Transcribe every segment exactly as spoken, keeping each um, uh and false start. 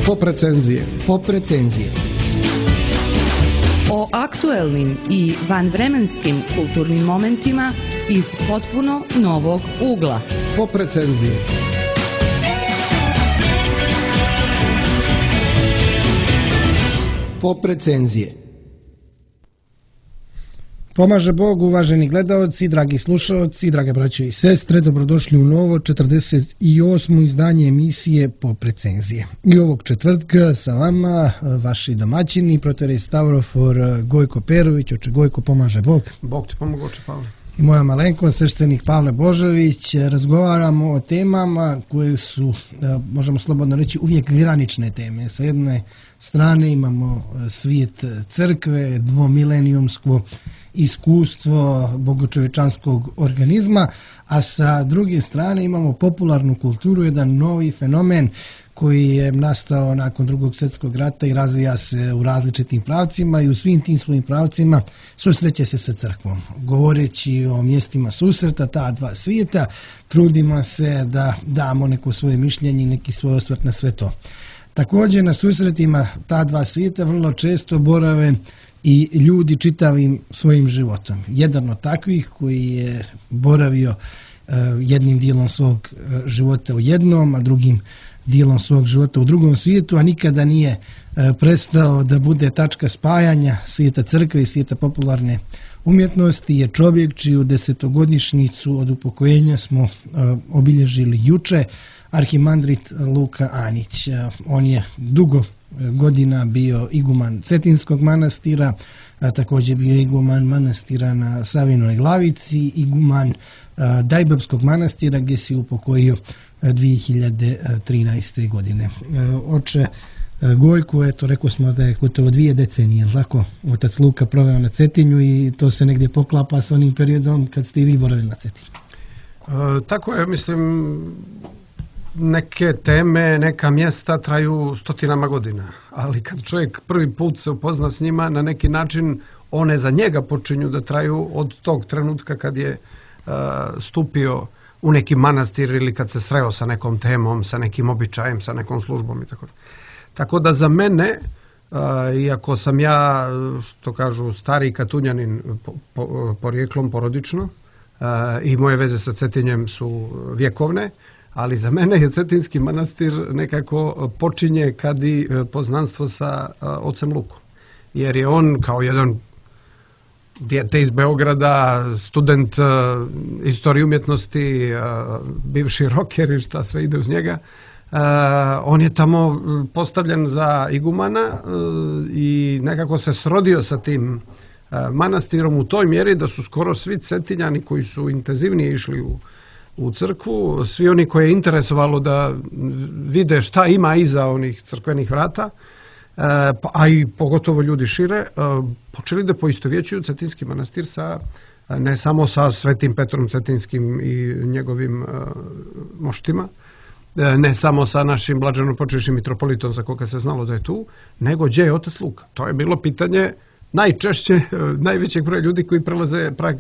Pop recenzije. Pop recenzije. O aktuelnim i vanvremenskim kulturnim momentima iz potpuno novog ugla. Pop recenzije. Pop recenzije. Pomaže Bog, uvaženi gledaoci, dragi slušaoci, drage braćo i sestre, dobrodošli u novo četrdeset osmo izdanje emisije Pop recenzije. I ovog četvrtka sa vama vaši domaćini, protorej Stavrofor Gojko Perović, oče Gojko, pomaže Bog. Bog ti pomogu, oče Pavle. I moja malenko, sveštenik Pavle Božović. Razgovaramo o temama koje su, možemo slobodno reći, uvijek granične teme. Sa jedne strane imamo svijet crkve, dvomilenijumsko iskustvo bogočovečanskog organizma, a sa druge strane imamo popularnu kulturu, jedan novi fenomen koji je nastao nakon drugog svjetskog rata i razvija se u različitim pravcima i u svim tim svojim pravcima susreće se sa crkvom. Govoreći o mjestima susreta ta dva svijeta, trudimo se da damo neko svoje mišljenje i neki svoj osvrt na sve to. Također na susretima ta dva svijeta vrlo često borave i ljudi čitavim svojim životom. Jedan od takvih koji je boravio uh, jednim dijelom svog uh, života u jednom, a drugim dijelom svog života u drugom svijetu, a nikada nije uh, prestao da bude tačka spajanja svijeta crkve i svijeta popularne umjetnosti, je čovjek čiju desetogodišnjicu od upokojenja smo uh, obilježili juče, arhimandrit Luka Anić. Uh, on je dugo godina bio iguman Cetinskog manastira, a također bio iguman manastira na Savinoj Glavici, iguman a, Dajbabskog manastira gdje se upokojio dvije hiljade trinaeste. godine. A, oče a, Gojko, eto, rekao smo da je gotovo dvije decenije, tako, otac Luka proveo na Cetinju i to se negdje poklapa s onim periodom kad ste i vi boravili na Cetinju. E, tako je, mislim, neke teme, neka mjesta traju stotinama godina, ali kad čovjek prvi put se upozna s njima, na neki način one za njega počinju da traju od tog trenutka kad je uh, stupio u neki manastir ili kad se sreo sa nekom temom, sa nekim običajem, sa nekom službom i tako. Tako da za mene, uh, iako sam ja, što kažu, stari Katunjanin po, po, porijeklom porodično uh, i moje veze sa Cetinjem su vjekovne, ali za mene je Cetinski manastir nekako počinje kad i poznanstvo sa ocem Lukom. Jer je on kao jedan dijete iz Beograda, student istorije umjetnosti, bivši rocker i šta sve ide uz njega, on je tamo postavljen za igumana i nekako se srodio sa tim manastirom u toj mjeri da su skoro svi Cetinjani koji su intenzivnije išli u u crkvu, svi oni koje je interesovalo da vide šta ima iza onih crkvenih vrata, a i pogotovo ljudi šire, počeli da poistovjećuju Cetinski manastir sa, ne samo sa Svetim Petrom Cetinskim i njegovim moštima, ne samo sa našim blaženopočivšim mitropolitom za koga se znalo da je tu, nego gdje je otac Luka. To je bilo pitanje najčešće najvećeg broja ljudi koji prelaze prag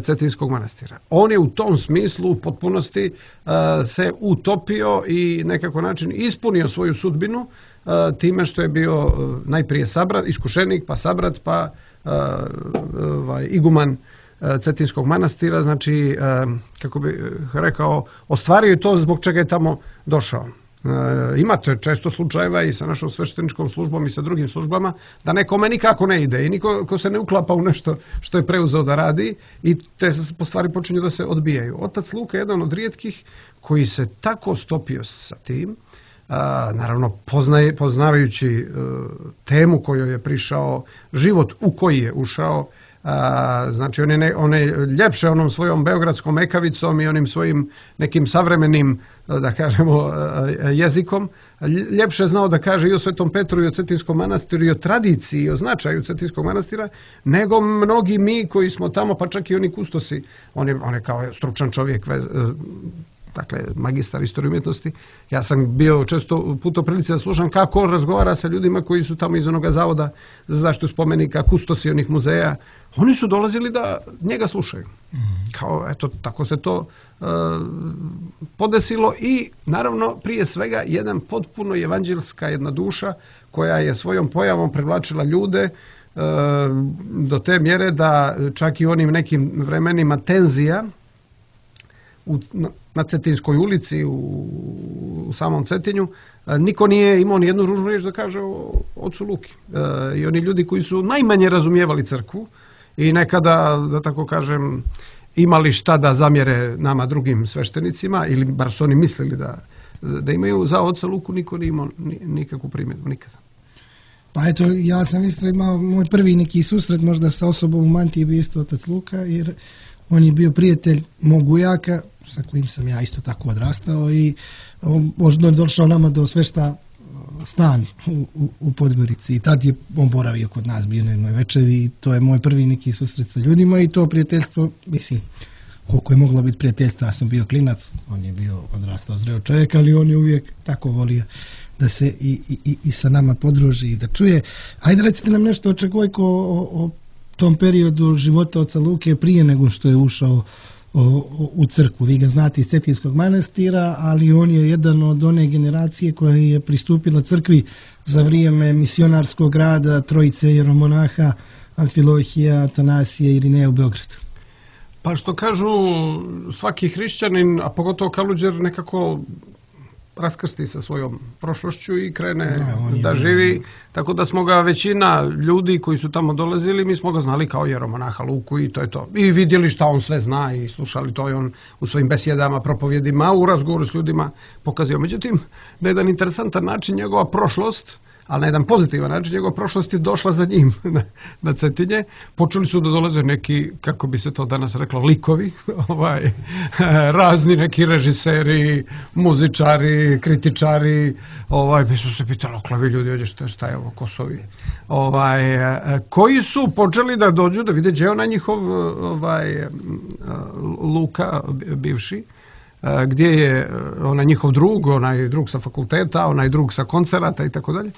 Cetinskog manastira. On je u tom smislu u potpunosti uh, se utopio i nekako način ispunio svoju sudbinu uh, time što je bio uh, najprije sabrat, iskušenik, pa sabrat, pa uh, uh, iguman uh, Cetinskog manastira, znači, uh, kako bi rekao, ostvario je to zbog čega je tamo došao. Uh, imate često slučajeva i sa našom svešteničkom službom i sa drugim službama da nekome nikako ne ide i niko ko se ne uklapa u nešto što je preuzeo da radi i te stvari počinju da se odbijaju. Otac Luka je jedan od rijetkih koji se tako stopio sa tim, uh, naravno poznaje, poznavajući uh, temu kojoj je prišao, život u koji je ušao. A, znači on je, ne, on je ljepše onom svojom beogradskom ekavicom i onim svojim nekim savremenim, da kažemo, jezikom, ljepše znao da kaže i o Svetom Petru i o Cetinskom manastiru i o tradiciji i o značaju Cetinskog manastira, nego mnogi mi koji smo tamo, pa čak i oni kustosi. On je, on je kao stručan čovjek, vez, dakle magistar istorije umjetnosti. Ja sam bio često puta u prilici da slušam kako razgovara sa ljudima koji su tamo iz onoga zavoda za zaštitu spomenika, kustosi onih muzeja. Oni su dolazili da njega slušaju. Kao, eto, tako se to uh, podesilo i naravno prije svega jedan potpuno evanđelska jedna duša koja je svojom pojavom privlačila ljude e, do te mjere da čak i onim nekim vremenima tenzija u, na, na Cetinskoj ulici u, u samom Cetinju e, niko nije imao ni jednu ružnu riječ da kaže o ocu Luki. E, I oni ljudi koji su najmanje razumijevali crkvu i nekada, da tako kažem, imali šta da zamjere nama drugim sveštenicima, ili bar su oni mislili da, da imaju, za oca Luku niko nije imao nikakvu primjedbu, nikada. Pa eto, ja sam isto imao moj prvi neki susret možda sa osobom u mantiji bio isto otac Luka, jer on je bio prijatelj mog ujaka, sa kojim sam ja isto tako odrastao i on je došao nama do svešta stan u, u, u Podgorici i tad je on boravio kod nas, bio na jednoj večeri i to je moj prvi neki susret sa ljudima i to prijateljstvo, mislim, koliko je moglo biti prijateljstvo, ja sam bio klinac, on je bio odrastao zreo čovjek, ali on je uvijek tako volio da se i, i, i sa nama podruži i da čuje. Ajde recite nam nešto očekujko o, o tom periodu života oca Luke prije nego što je ušao O, o, u crkvu. Vi ga znate iz Cetinskog manastira, ali on je jedan od one generacije koja je pristupila crkvi za vrijeme misionarskog rada trojice jeromonaha Amfilohija, Atanasija i Irineja u Beogradu. Pa što kažu, svaki hrišćanin, a pogotovo Kaluđer, nekako raskrsti sa svojom prošlošću i krene da, da živi. Tako da smo ga većina ljudi koji su tamo dolazili, mi smo ga znali kao jeromonaha Luku i to je to. I vidjeli šta on sve zna i slušali to i on u svojim besjedama, propovjedima, u razgovoru s ljudima pokazio. Međutim, na jedan interesantan način njegova prošlost, ali na jedan pozitivan način, njegova prošlost je došla za njim na, na Cetinje. Počeli su da dolaze neki, kako bi se to danas reklo, likovi, ovaj, razni neki režiseri, muzičari, kritičari, ovaj, bi su se pitali, oklavi ljudi, ođe šta, šta je ovo, Kosovi, ovaj, koji su počeli da dođu, da vide gdje je onaj njihov ovaj, Luka, bivši, gdje je onaj njihov drug, onaj drug sa fakulteta, onaj drug sa koncerata i tako dalje.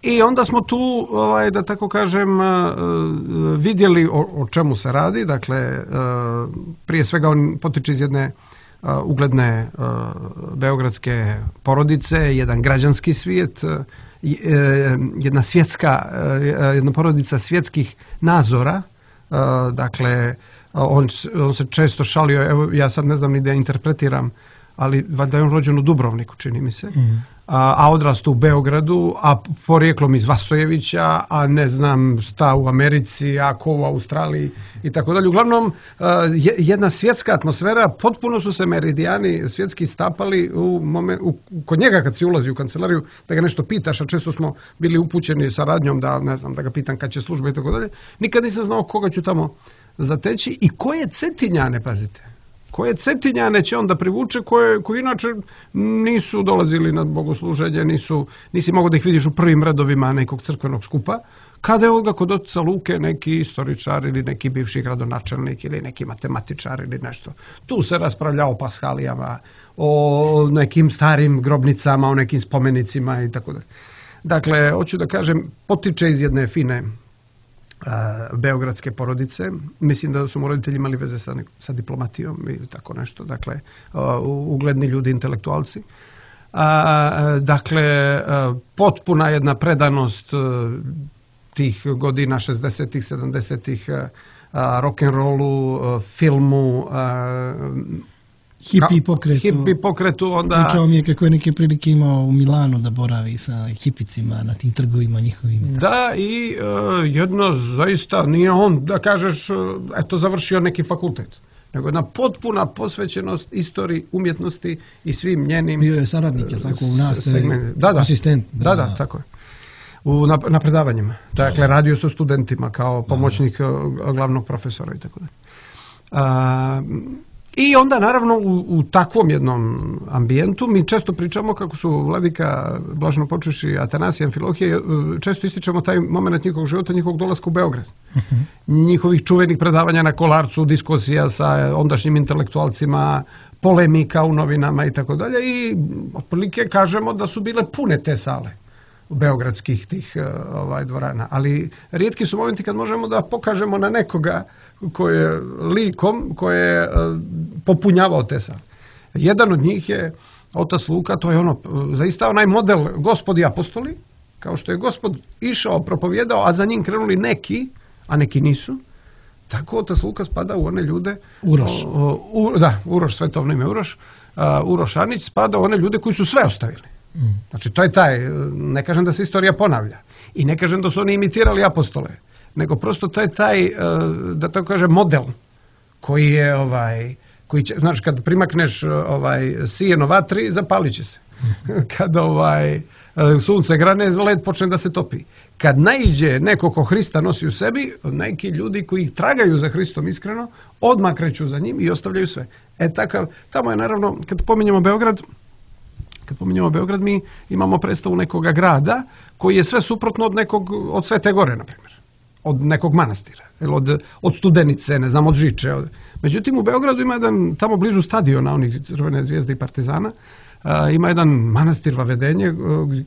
I onda smo tu, ovaj, da tako kažem, vidjeli o, o čemu se radi. Dakle, prije svega on potiče iz jedne ugledne beogradske porodice, jedan građanski svijet, jedna svjetska, jedna porodica svjetskih nazora. Dakle, On, on se često šalio, evo ja sad ne znam ni da interpretiram, ali valjda je on rođen u Dubrovniku, čini mi se, mm. a, a odrastao u Beogradu, a porijeklom iz Vasojevića, a ne znam šta u Americi, a ko u Australiji i tako dalje. Uglavnom, jedna svjetska atmosfera, potpuno su se meridijani svjetski stapali u moment, u, kod njega kad si ulazi u kancelariju, da ga nešto pitaš, a često smo bili upućeni sa radnjom da, ne znam, da ga pitam kad će služba i tako dalje. Nikad nisam znao koga ću tamo zateći i koje Cetinjane, pazite, koje Cetinjane će onda privuče, koje, koji inače nisu dolazili na bogosluženje, nisu, nisi mogao da ih vidiš u prvim redovima nekog crkvenog skupa, kada je ovdje kod oca Luke neki istoričar ili neki bivši gradonačelnik ili neki matematičar ili nešto. Tu se raspravlja o paskalijama, o nekim starim grobnicama, o nekim spomenicima i tako dalje. Dakle, hoću da kažem, potiče iz jedne fine beogradske porodice. Mislim da su mu roditelji imali veze sa, sa diplomatijom i tako nešto. Dakle, ugledni ljudi, intelektualci. Dakle, potpuna jedna predanost tih godina šezdesetih, sedamdesetih rock'n'rollu, filmu, hipi pokretu. Hipi pokretu, onda... Pričao mi je kako je neke prilike imao u Milanu da boravi sa hipicima na tim trgovima njihovim. Da, i uh, jedno zaista nije on, da kažeš, eto, završio neki fakultet, nego jedna potpuna posvećenost istoriji, umjetnosti i svim njenim... Bio je saradnik, je tako, u nastavi, da, da, asistent. Da, da, da, tako je. U, na, na predavanjima. Dakle, radio sa studentima kao pomoćnik da, da. glavnog profesora i tako da. I onda, naravno, u, u takvom jednom ambijentu mi često pričamo kako su vladika Blaženo počeši Atanasija i Amfilohije, često ističemo taj moment njihovog života, njihovog dolaska u Beograd. Uh-huh. Njihovih čuvenih predavanja na Kolarcu, diskusija sa ondašnjim intelektualcima, polemika u novinama i tako dalje. I otprilike kažemo da su bile pune te sale beogradskih tih ovaj, dvorana. Ali rijetki su momenti kad možemo da pokažemo na nekoga koje likom koje je popunjavao te sale. Jedan od njih je otac Luka, to je ono, zaista onaj model Gospod i apostoli, kao što je Gospod išao, propovjedao, a za njim krenuli neki, a neki nisu. Tako otac Luka spada u one ljude... Uroš. O, o, u, da, Uroš, svetovno ime Uroš. Uh, Uroš Anić spada u one ljude koji su sve ostavili. Mm. Znači, to je taj, ne kažem da se istorija ponavlja. I ne kažem da su oni imitirali apostole. Nego prosto to je taj, uh, da tako kažem, model koji je, ovaj, koji će, znaš, kad primakneš ovaj, sijeno vatri, zapalit će se. Kad ovaj, sunce grane, led počne da se topi. Kad naiđe neko ko Hrista nosi u sebi, neki ljudi koji tragaju za Hristom iskreno, odmah kreću za njim i ostavljaju sve. E takav, tamo je naravno, kad pominjemo Beograd, kad pominjemo Beograd, mi imamo predstavu nekoga grada koji je sve suprotno od nekog, od Svete Gore, na primjer. Od nekog manastira, od, od Studenice, ne znam, od Žiče. Od... Međutim, u Beogradu ima jedan, tamo blizu stadiona, onih Crvene zvijezde i Partizana, Uh, ima jedan manastir Vavedenje uh,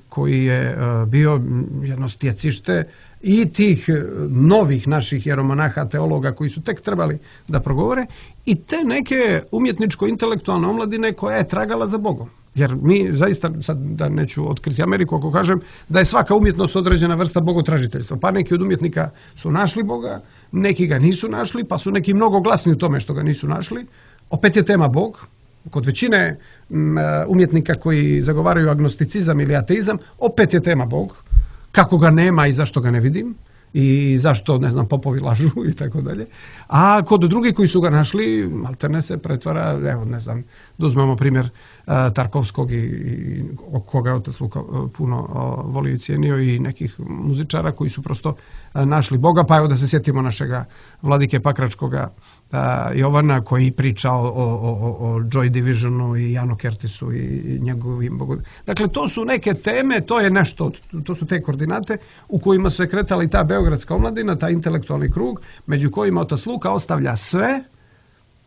koji je uh, bio jedno stjecište i tih uh, novih naših jeromonaha, teologa koji su tek trebali da progovore i te neke umjetničko-intelektualne omladine koja je tragala za Bogom. Jer mi zaista, sad da neću otkriti Ameriku ako kažem, da je svaka umjetnost određena vrsta bogotražiteljstva. Pa neki od umjetnika su našli Boga, neki ga nisu našli, pa su neki mnogo glasni u tome što ga nisu našli. Opet je tema Bog. Kod većine umjetnika koji zagovaraju agnosticizam ili ateizam, opet je tema Bog. Kako ga nema i zašto ga ne vidim i zašto, ne znam, popovi lažu i tako dalje. A kod drugih koji su ga našli, maltene se pretvara, evo, ne znam, da uzmemo primjer uh, Tarkovskog i, i koga je otac Luka uh, puno uh, volio i cijenio i nekih muzičara koji su prosto uh, našli Boga. Pa evo da se sjetimo našega vladike Pakračkoga uh, Jovana koji priča o, o, o, o Joy Divisionu i Janu Kertisu i, i njegovim Bogu. Dakle, to su neke teme, to je nešto, to su te koordinate u kojima se kretala i ta beogradska omladina, taj intelektualni krug, među kojima otac Luka ostavlja sve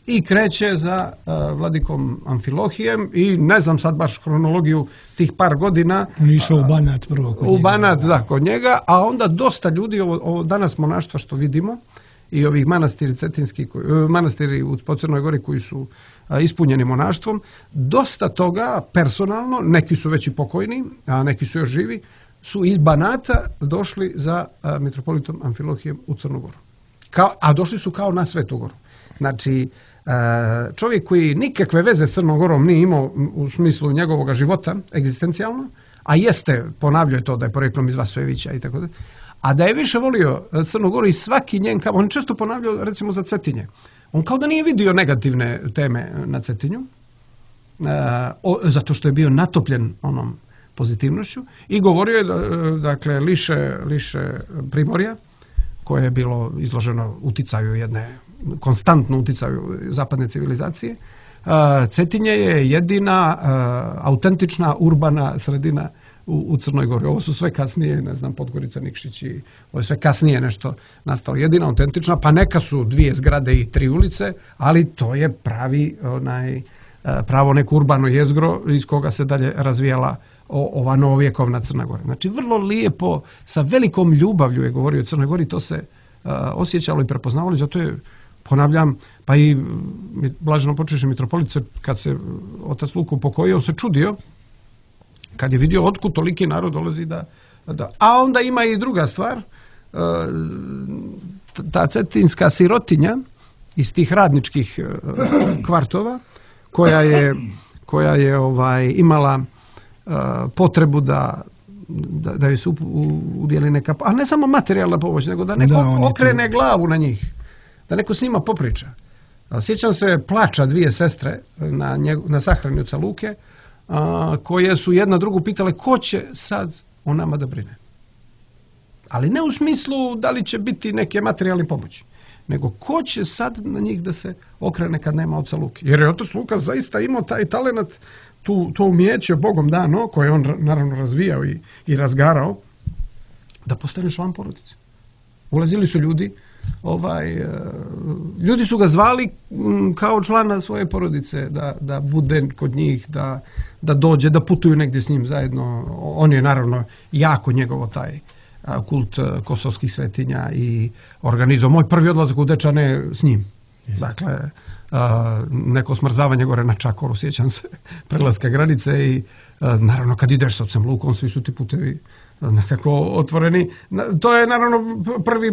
i kreće za uh, vladikom Amfilohijem i ne znam sad baš hronologiju tih par godina. Išao u Banat prvo kod u njega. U Banat, da, kod njega, a onda dosta ljudi, ovo, ovo danas monaštva što vidimo, i ovih manastiri cetinski, manastiri po Crnoj Gori koji su a, ispunjeni monaštvom, dosta toga personalno, neki su već i pokojni, a neki su još živi, su iz Banata došli za a, mitropolitom Amfilohijem u Crnu Goru. Kao, a došli su kao na Svetu Goru. Znači, a, čovjek koji nikakve veze s Crnom Gorom nije imao u smislu njegovog života, egzistencijalno, a jeste, ponavljao je to da je poreklom iz Vasojevića i tako da, a da je više volio Crnu Goru i svaki njen kamen, on često ponavljao recimo za Cetinje. On kao da nije vidio negativne teme na Cetinju, e, o, zato što je bio natopljen onom pozitivnošću i govorio je, dakle, liše, liše Primorja, koje je bilo izloženo uticaju jedne, konstantno uticaju zapadne civilizacije. E, Cetinje je jedina e, autentična urbana sredina U, u Crnoj Gori. Ovo su sve kasnije, ne znam, Podgorica, Nikšić i ovo je sve kasnije nešto nastalo. Jedina autentična, pa neka su dvije zgrade i tri ulice, ali to je pravi, onaj, pravo neko urbano jezgro iz koga se dalje razvijala o, ova novovjekovna Crna Gora. Znači, vrlo lijepo, sa velikom ljubavlju je govorio o Crnoj Gori, to se uh, osjećalo i prepoznavalo, zato je, ponavljam, pa i blaženo počeše mitropolice, kad se otac Luka upokojio, se čudio kad je vidio otkud toliki narod dolazi da, da... A onda ima i druga stvar, ta cetinska sirotinja iz tih radničkih kvartova, koja je, koja je ovaj, imala potrebu da, da, da joj se udjeli neka... A ne samo materijalna pomoć, nego da neko da, okrene tu glavu na njih, da neko s njima popriča. Sjećam se plača dvije sestre na, njegu, na sahrani oca Luke, A, koje su jedna drugu pitale ko će sad o nama da brine. Ali ne u smislu da li će biti neke materijalne pomoći, nego ko će sad na njih da se okrene kad nema oca Luke. Jer je otac Luka zaista imao taj talenat, tu, to umijeće Bogom dano, koje on naravno razvijao i, i razgarao, da postane član porodice. Ulazili su ljudi, ovaj, ljudi su ga zvali kao člana svoje porodice, da, da bude kod njih, da, da dođe, da putuju negdje s njim zajedno. On je naravno jako njegovo taj kult kosovskih svetinja i organizao moj prvi odlazak u Dečane s njim. Jeste. Dakle, a, neko smrzavanje gore na Čakoru, sjećam se, prelaska granice i a, naravno kad ideš s ocem Lukom, svi su ti putevi nekako otvoreni. To je naravno prvi,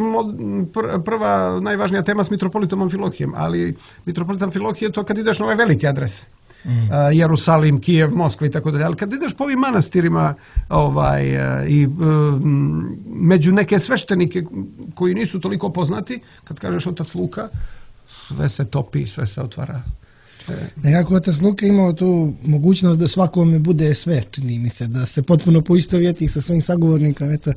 pr, prva najvažnija tema s mitropolitom Amfilohijem, ali mitropolit Amfilohije je to kad ideš na ove velike adrese. Mm. Uh, Jerusalim, Kijev, Moskva i tako dalje. Ali kad ideš po ovim manastirima ovaj, uh, i uh, među neke sveštenike koji nisu toliko poznati, kad kažeš otac Luka, sve se topi, sve se otvara. Nekako otac Luka imao tu mogućnost da svakome bude sve, čini mi se, da se potpuno poistovjeti sa svojim sagovornikom. Eto,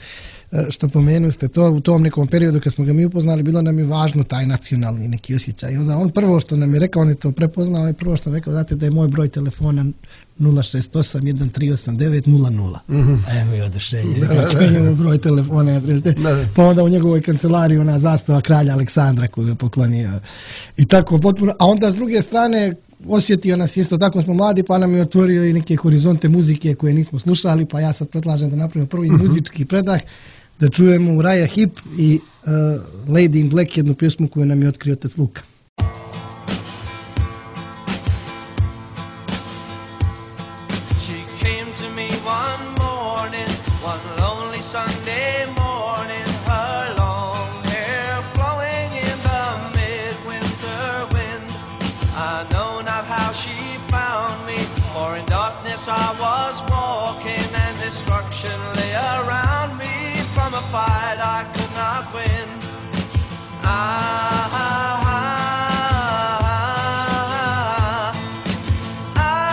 što pomenuli ste to, u tom nekom periodu kad smo ga mi upoznali, bilo nam je važno taj nacionalni neki osjećaj. I onda on prvo što nam je rekao, on je to prepoznao i prvo što nam je rekao, znate da je moj broj telefona nula šest osam jedan tri osam devet nula nula. Mm-hmm. A evo je odušenje. Kako je njemu broj telefona. Pa onda u njegovoj kancelariji ona zastava kralja Aleksandra koju je poklonio. I tako potpuno. A onda s druge strane osjetio nas isto tako, smo mladi, pa nam je otvorio i neke horizonte muzike koje nismo slušali, pa ja sad predlažem da napravimo prvi mm-hmm. muzički predah, da čujemo Uriah Heep i uh, Lady in Black, jednu pjesmu koju nam je otkrio otac Luka. I was walking and destruction lay around me from a fight I could not win. Ah, ah, ah, ah, ah.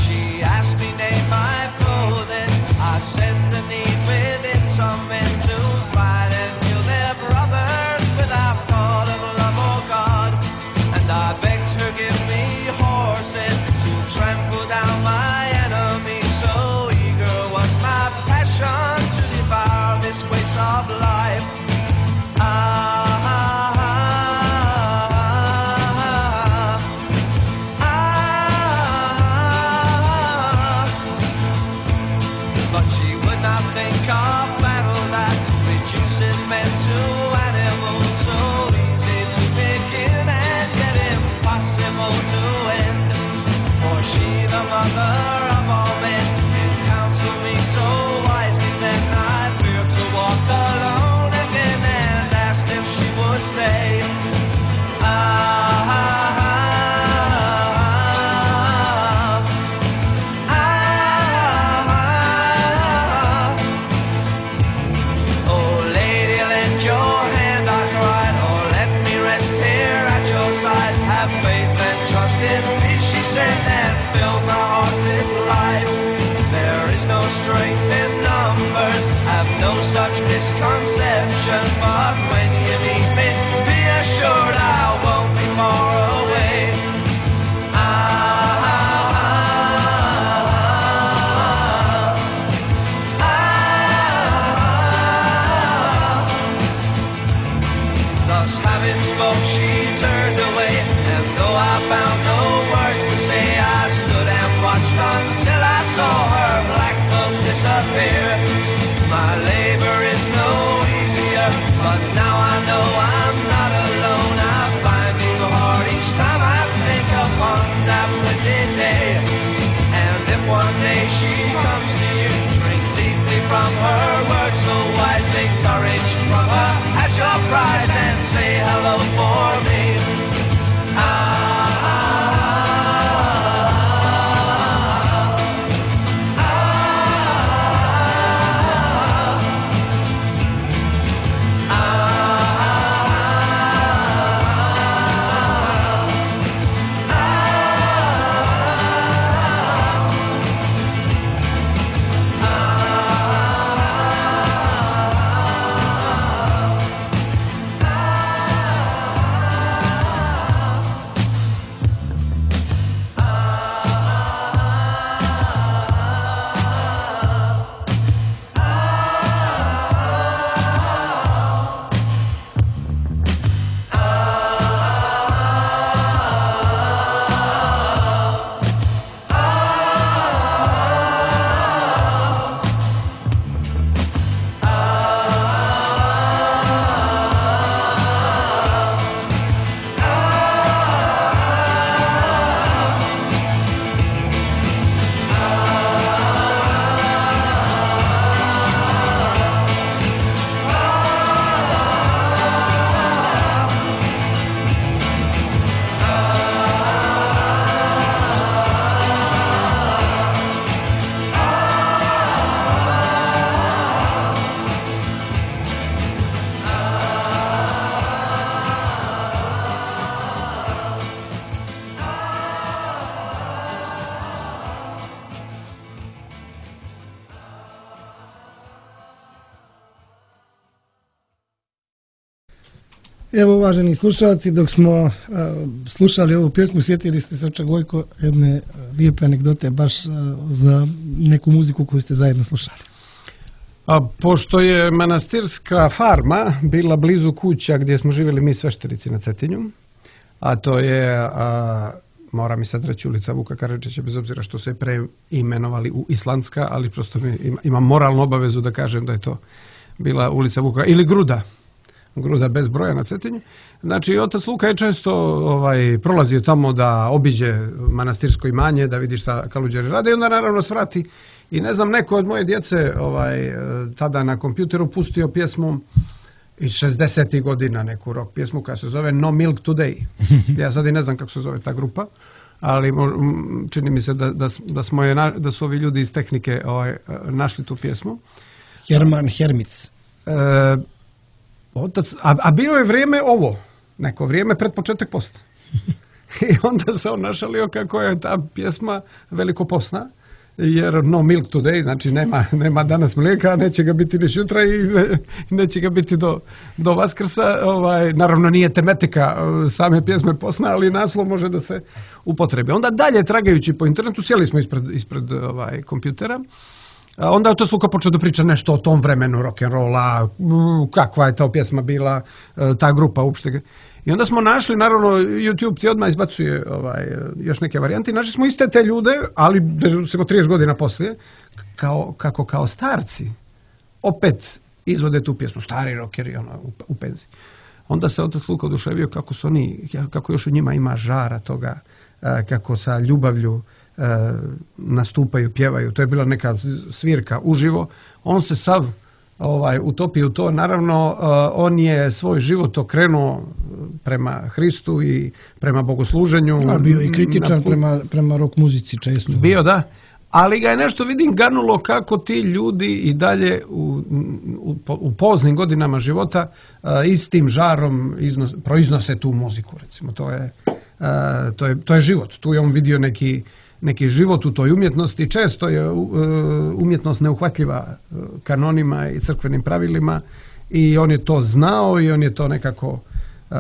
She asked me name my clothing. I said the need within some men to fight and kill their brothers without thought of love or God. And I begged her give me horses to trample down my enemies. So eager was my passion to devour this waste of life. Ah, mother of all men, and counsel me so wisely. Then I feared to walk alone again and asked if she would stay. Ah, ah, ah, ah, ah. Oh, lady, lend your hand, I cried, or let me rest here at your side. Have faith and trust in me, she said, and filled my heart with life. There is no strength in numbers, have no such misconception. But when you meet me, be assured I won't be far away. Ah, ah, ah, ah. Thus having spoke, she turned away, and though I found no words to say, I stood and watched until I saw her black cloak disappear. My labor is no easier, but now I know I Evo, uvaženi slušalci, dok smo uh, slušali ovu pjesmu, sjetili ste se, Oče Gojko, jedne lijepe anegdote baš uh, za neku muziku koju ste zajedno slušali. A pošto je manastirska farma bila blizu kuća gdje smo živjeli mi sveštenici na Cetinju, a to je, a, mora mi sad reći, ulica Vuka Karadžića, bez obzira što se preimenovali u Islandska, ali prosto mi ima, imam moralnu obavezu da kažem da je to bila ulica Vuka, ili Gruda, Gruda bez broja na Cetinju. Znači, otac Luka je često ovaj, prolazio tamo da obiđe manastirsko imanje, da vidi šta kaluđeri rade i onda naravno svrati. I ne znam, neko od moje djece ovaj, tada na kompjuteru pustio pjesmu iz šezdesetih godina, neku rock pjesmu koja se zove No Milk Today. Ja sad i ne znam kako se zove ta grupa, ali čini mi se da, da, da, smo je, da su ovi ljudi iz tehnike ovaj, našli tu pjesmu. Herman Hermic. E, otac, a, a bilo je vrijeme ovo, neko vrijeme pred početak posta. I onda se on našalio kako je ta pjesma velikoposna, jer no milk today, znači nema, nema danas mlijeka, neće ga biti ni sutra i ne, neće ga biti do, do Vaskrsa. Ovaj, naravno nije tematika same pjesme posna, ali naslov može da se upotrebi. Onda dalje, tragajući po internetu, sjeli smo ispred, ispred ovaj, kompjutera. Onda je to Luka počeo da priča nešto o tom vremenu rock'n'rolla, kakva je ta pjesma bila, ta grupa uopšte. I onda smo našli, naravno, YouTube ti odmah izbacuje ovaj, još neke varijante. Našli smo iste te ljude, ali smo trideset godina poslije, kao, kako kao starci opet izvode tu pjesmu, stari rockeri ono, u, u penziji. Onda se otac Luka oduševio kako su oni, kako još u njima ima žara toga, kako sa ljubavlju nastupaju, pjevaju. To je bila neka svirka uživo. On se sav ovaj, utopio u to. Naravno, on je svoj život okrenuo prema Hristu i prema bogosluženju. A bio i kritičan prema, prema rock muzici često. Bio, da. Ali ga je nešto, vidim, ganulo kako ti ljudi i dalje u, u, u poznim godinama života a, istim žarom iznos, proiznose tu muziku, recimo. To je, a, to je, to je život. Tu je on vidio neki neki život u toj umjetnosti. Često je umjetnost neuhvatljiva kanonima i crkvenim pravilima i on je to znao i on je to nekako uh,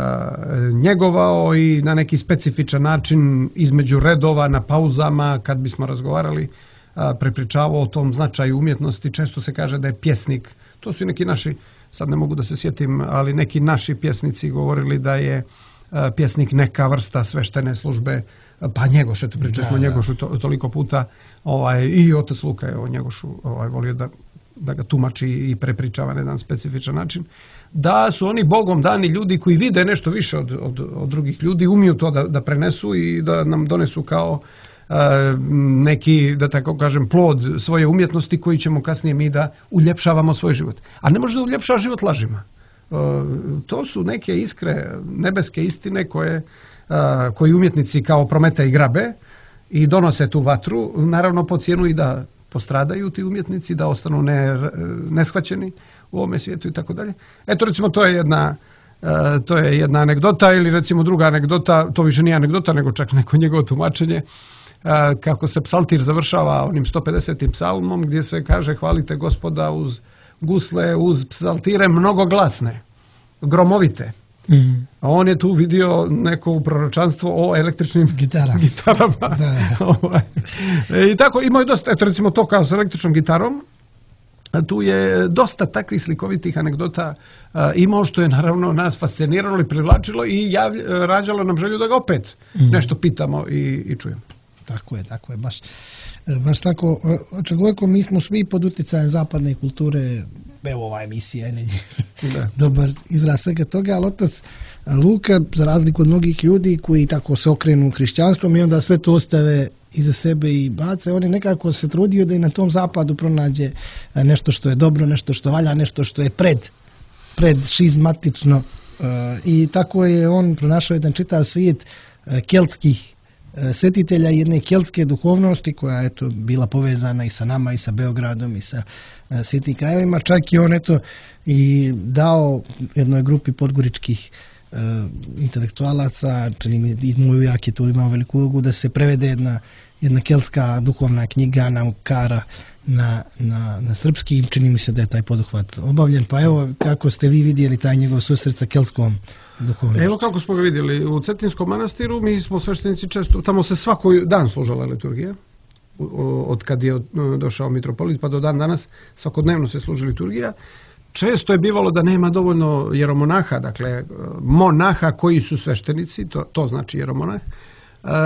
njegovao i na neki specifičan način između redova, na pauzama, kad bismo razgovarali, uh, prepričavao o tom značaju umjetnosti. Često se kaže da je pjesnik, to su i neki naši, sad ne mogu da se sjetim, ali neki naši pjesnici govorili da je uh, pjesnik neka vrsta sveštene službe. Pa Njegoš, eto pričali smo o Njegošu to, toliko puta, ovaj, i otac Luka je o Njegošu ovaj, volio da, da ga tumači i prepričava na jedan specifičan način, da su oni Bogom dani ljudi koji vide nešto više od, od, od drugih ljudi, umiju to da, da prenesu i da nam donesu kao uh, neki, da tako kažem, plod svoje umjetnosti koji ćemo kasnije mi da uljepšavamo svoj život. A ne može da uljepšava život lažima. Uh, to su neke iskre, nebeske istine koje Uh, koji umjetnici kao Prometej i grabe i donose tu vatru, naravno po cijenu i da postradaju ti umjetnici, da ostanu ne, neshvaćeni u ovome svijetu i tako dalje. Eto, recimo, to je jedna uh, to je jedna anegdota, ili recimo druga anegdota, to više nije anegdota, nego čak neko njegovo tumačenje, uh, kako se psaltir završava onim sto pedesetim psalmom, gdje se kaže hvalite Gospoda uz gusle, uz psaltire mnogoglasne, gromovite. Mm. A on je tu vidio neko proročanstvo o električnim Gitara. gitarama. Da. I tako imaju dosta, eto recimo to kao s električnom gitarom, tu je dosta takvih slikovitih anegdota uh, imao, što je naravno nas fasciniralo i privlačilo i javlj, rađalo nam želju da ga opet mm. nešto pitamo i, i čujemo. Tako je, tako je, baš, baš tako. Oče Gojko, mi smo svi pod utjecajem zapadne kulture, evo ova emisija je dobar izraz svega toga, ali otac Luka, za razliku od mnogih ljudi koji tako se okrenu hrišćanstvom i onda sve to ostave iza sebe i bace, on je nekako se trudio da i na tom zapadu pronađe nešto što je dobro, nešto što valja, nešto što je pred, pred šizmatično, i tako je on pronašao jedan čitav svijet keltskih svetitelja, jedne keltske duhovnosti koja je eto bila povezana i sa nama i sa Beogradom i sa svjetim krajevima. Čak i on eto i dao jednoj grupi podgoričkih uh, intelektualaca, čini mi i moj ujak je tu imao veliku ulogu, da se prevede jedna jedna keltska duhovna knjiga nam kara na, na, na srpski, čini mi se da je taj poduhvat obavljen, pa evo kako ste vi vidjeli taj njegov susret sa kelskom duhovnošću? Evo kako smo ga vidjeli, u Cetinskom manastiru mi smo sveštenici često, tamo se svaki dan služala liturgija, od kad je došao mitropolit pa do dan danas svakodnevno se služi liturgija. Često je bivalo da nema dovoljno jeromonaha, dakle monaha koji su sveštenici, to, to znači jeromonah,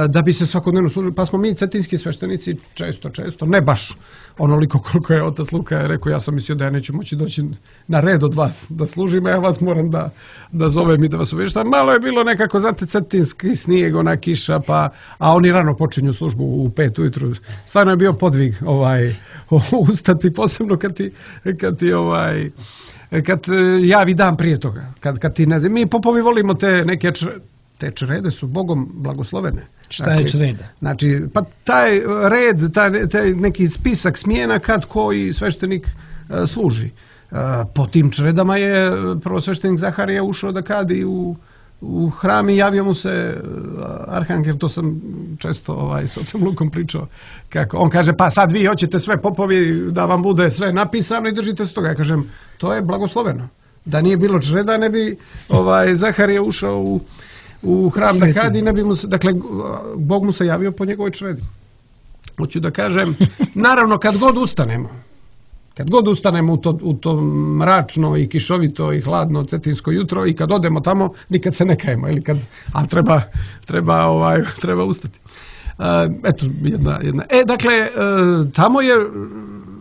da bi se svakodnevno služili. Pa smo mi cetinski sveštenici često, često, ne baš onoliko koliko je otac Luka je rekao, ja sam mislio da ja neću moći doći na red od vas da služim, a ja vas moram da, da zovem i da vas obavještam. Malo je bilo nekako, znate, cetinski snijeg, ona kiša, pa, a oni rano počinju službu u pet ujutru. Stvarno je bio podvig ovaj, ustati, posebno kad ti, kad ti ovaj, kad javi dan prije toga. Kad, kad ti ne, mi popovi volimo te neke čr, te črede su Bogom blagoslovene. Šta je čreda? Znači, pa taj red, taj, taj neki spisak smjena kad koji sveštenik uh, služi. Uh, po tim čredama je prvo sveštenik Zaharija ušao da kadi u, u hram i javio mu se uh, arhangel, to sam često ovaj, s ocem Lukom pričao. Kako, on kaže, pa sad vi hoćete sve popovi da vam bude sve napisano i držite se toga. Ja kažem, to je blagosloveno. Da nije bilo čreda, ne bi ovaj, Zaharija ušao u u hram da kadi, ne bi mu se, dakle, Bog mu se javio po njegovoj čredi. Hoću da kažem, naravno, kad god ustanemo, kad god ustanemo u to, u to mračno i kišovito i hladno cetinsko jutro i kad odemo tamo, nikad se ne kajemo, ili kad, a treba, treba, ovaj, treba ustati. Uh, eto, jedna, jedna. E, dakle, uh, tamo je,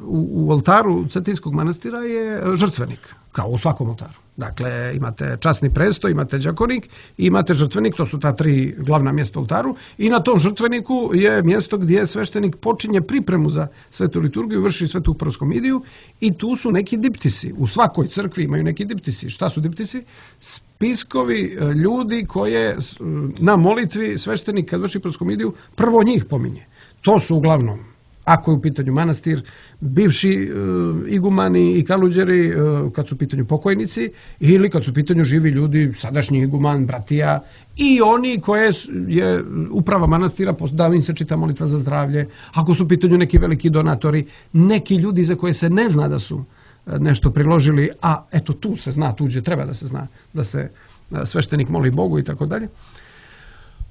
u, u oltaru Cetinskog manastira je žrtvenik, kao u svakom oltaru. Dakle, imate časni presto, imate đakonik i imate žrtvenik, to su ta tri glavna mjesta u oltaru i na tom žrtveniku je mjesto gdje sveštenik počinje pripremu za svetu liturgiju, vrši svetu proskomidiju i tu su neki diptisi. U svakoj crkvi imaju neki diptisi. Šta su diptisi? Spiskovi ljudi koje na molitvi sveštenik kad vrši proskomidiju prvo njih pominje. To su uglavnom, ako je u pitanju manastir, bivši uh, igumani i kaluđeri uh, kad su u pitanju pokojnici ili kad su u pitanju živi ljudi, sadašnji iguman, bratija i oni koje je uprava manastira, da im se čita molitva za zdravlje, ako su u pitanju neki veliki donatori, neki ljudi za koje se ne zna da su nešto priložili, a eto tu se zna, tuđe treba da se zna da se sveštenik moli Bogu i tako dalje.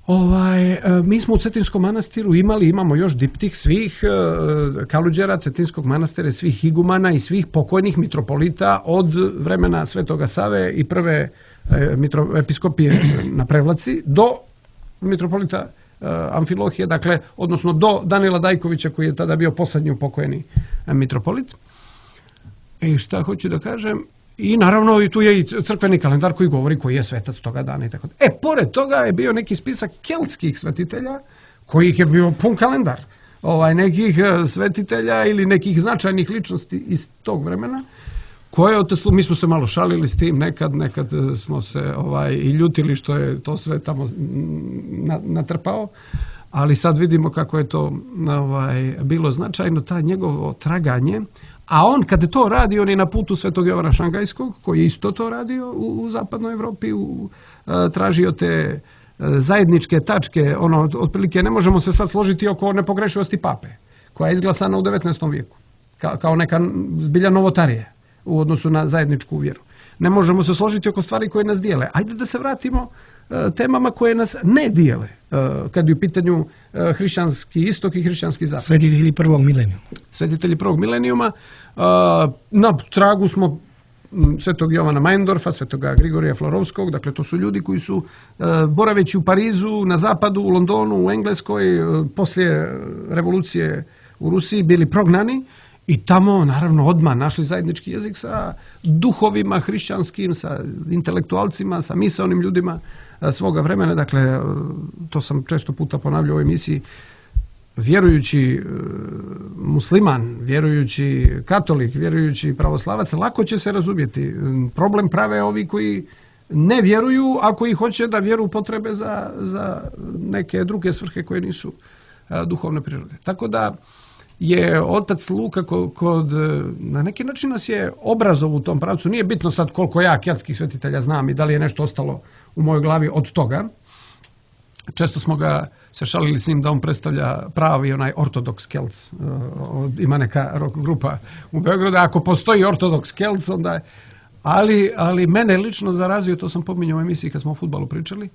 Ovaj, mi smo u Cetinskom manastiru imali, imamo još diptih svih uh, kaluđera Cetinskog manastira, svih igumana i svih pokojnih mitropolita od vremena Svetoga Save i prve uh, mitro, episkopije na Prevlaci do mitropolita uh, Amfilohije, dakle, odnosno do Danila Dajkovića koji je tada bio posljednji upokojeni uh, mitropolit. I šta hoću da kažem? I naravno i tu je i crkveni kalendar koji govori koji je svetac toga dana i tako. E, pored toga je bio neki spisak keltskih svetitelja kojih je bio pun kalendar. Ovaj, nekih svetitelja ili nekih značajnih ličnosti iz tog vremena koje oteslu, mi smo se malo šalili s tim nekad, nekad smo se ovaj, i ljutili što je to sve tamo natrpao, ali sad vidimo kako je to ovaj, bilo značajno, ta njegovo traganje. A on, kada to radi, on je na putu Svetog Jovana Šangajskog, koji je isto to radio u, u zapadnoj Evropi, u, a, tražio te a, zajedničke tačke, ono, otprilike ne možemo se sad složiti oko nepogrešivosti pape, koja je izglasana u devetnaestom vijeku, ka, kao neka zbilja novotarija u odnosu na zajedničku vjeru. Ne možemo se složiti oko stvari koje nas dijele. Ajde da se vratimo a, temama koje nas ne dijele, a, kad je u pitanju a, hrišćanski istok i hrišćanski zapad. Svetitelji prvog milenijuma. Svetitelji prvog milenijuma. Na tragu smo Svetog Jovana Majndorfa, Svetoga Grigorija Florovskog, dakle to su ljudi koji su boraveći u Parizu, na zapadu, u Londonu, u Engleskoj, poslije revolucije u Rusiji bili prognani i tamo naravno odmah našli zajednički jezik sa duhovima hrišćanskim, sa intelektualcima, sa misaonim ljudima svoga vremena. Dakle, to sam često puta ponavljao u ovoj emisiji. Vjerujući musliman, vjerujući katolik, vjerujući pravoslavac, lako će se razumjeti. Problem prave ovi koji ne vjeruju, a koji hoće da vjeru potrebe za, za neke druge svrhe koje nisu a, duhovne prirode. Tako da je otac Luka kod, kod, na neki način nas je obrazov u tom pravcu. Nije bitno sad koliko ja keltskih svetitelja znam i da li je nešto ostalo u mojoj glavi od toga. često smo ga se šalili s njim da on predstavlja pravi onaj ortodoks Kelc. Ima neka rock grupa u Beogradu. Ako postoji ortodoks Kelc, onda je... Ali, ali mene lično zarazio, to sam pominjao u emisiji kad smo o fudbalu pričali,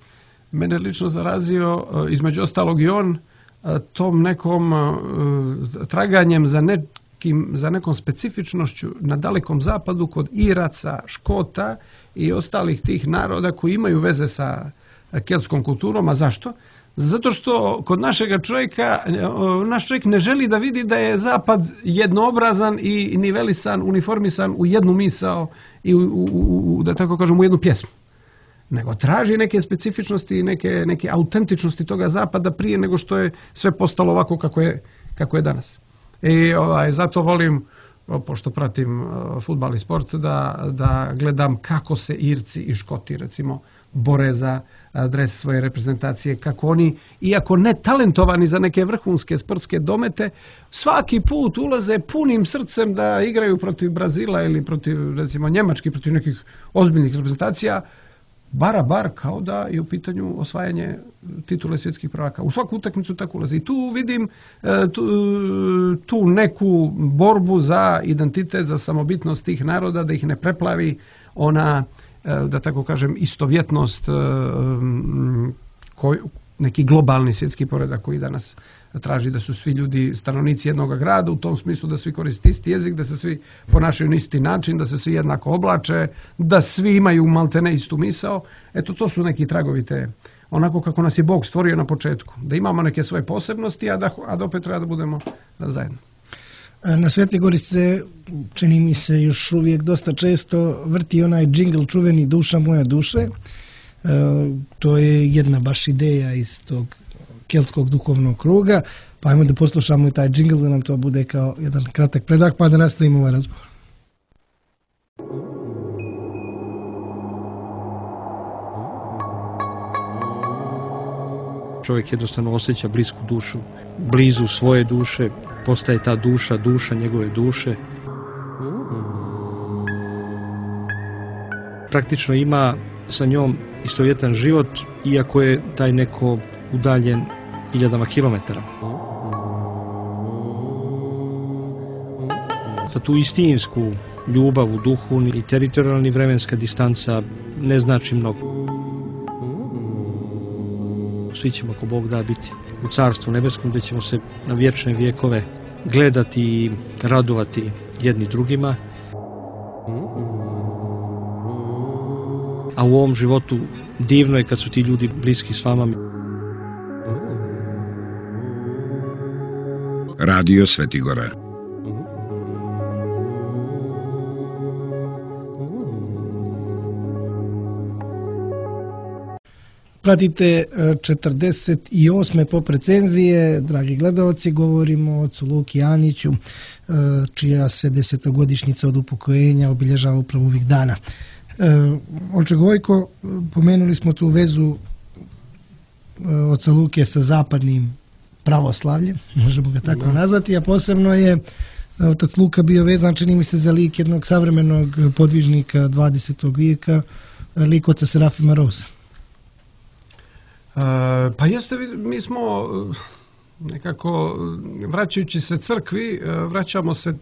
mene lično zarazio, između ostalog i on, tom nekom traganjem za nekim, za nekom specifičnošću na Dalekom zapadu kod Iraca, Škota i ostalih tih naroda koji imaju veze sa keltskom kulturom. A zašto? Zato što kod našega čovjeka, naš čovjek ne želi da vidi da je zapad jednoobrazan i nivelisan, uniformisan u jednu misao i u, u, u, da tako kažem, u jednu pjesmu. Nego traži neke specifičnosti, neke, neke autentičnosti toga zapada prije nego što je sve postalo ovako kako je, kako je danas. I ovaj, zato volim, pošto pratim uh, fudbal i sport, da, da gledam kako se Irci i Škoti, recimo, bore za dres svoje reprezentacije, kako oni, iako ne talentovani za neke vrhunske sportske domete, svaki put ulaze punim srcem da igraju protiv Brazila ili protiv, recimo, Njemački, protiv nekih ozbiljnih reprezentacija, bara bar kao da je u pitanju osvajanje titule svjetskih prvaka. U svaku utakmicu tako ulaze. I tu vidim tu, tu neku borbu za identitet, za samobitnost tih naroda, da ih ne preplavi ona, da tako kažem, istovjetnost, koj, neki globalni svjetski poredak koji danas traži da su svi ljudi stanovnici jednog grada, u tom smislu da svi koriste isti jezik, da se svi ponašaju na isti način, da se svi jednako oblače, da svi imaju maltene istu misao. Eto, to su neki tragovi te, onako kako nas je Bog stvorio na početku. Da imamo neke svoje posebnosti, a da, a da opet treba da budemo zajedno. Na Svetoj Gori se, čini mi se, još uvijek dosta često vrti onaj džingl čuveni Duša moja duše. E, to je jedna baš ideja iz tog keltskog duhovnog kruga. Pa ajmo da poslušamo i taj džingl, da nam to bude kao jedan kratak predak, pa da nastavimo ovaj razgovor. Čovjek jednostavno osjeća blisku dušu, blizu svoje duše, postaje ta duša, duša njegove duše. Praktično ima sa njom istovjetan život, iako je taj neko udaljen hiljadama kilometara. Za tu istinsku ljubav u duhu i teritorijalni vremenska distanca ne znači mnogo. Svi ćemo, ako Bog da, biti u Carstvu nebeskom, gdje ćemo se na vječne vijekove gledati i radovati jedni drugima. A u ovom životu divno je kad su ti ljudi bliski s vama. Radio Svetigora. Pratite četrdeset osme pop recenzije, dragi gledalci, govorimo o ocu Luki Aniću, čija se desetogodišnjica od upokojenja obilježava upravo ovih dana. Oče Gojko, pomenuli smo tu vezu oca Luke sa zapadnim pravoslavljem, možemo ga tako nazvati, a posebno je otac Luka bio vezan, čini mi se, za lik jednog savremenog podvižnika dvadesetog vijeka, lik oca Serafima Rosa. Uh, pa jeste, mi smo nekako, vraćajući se crkvi, vraćamo se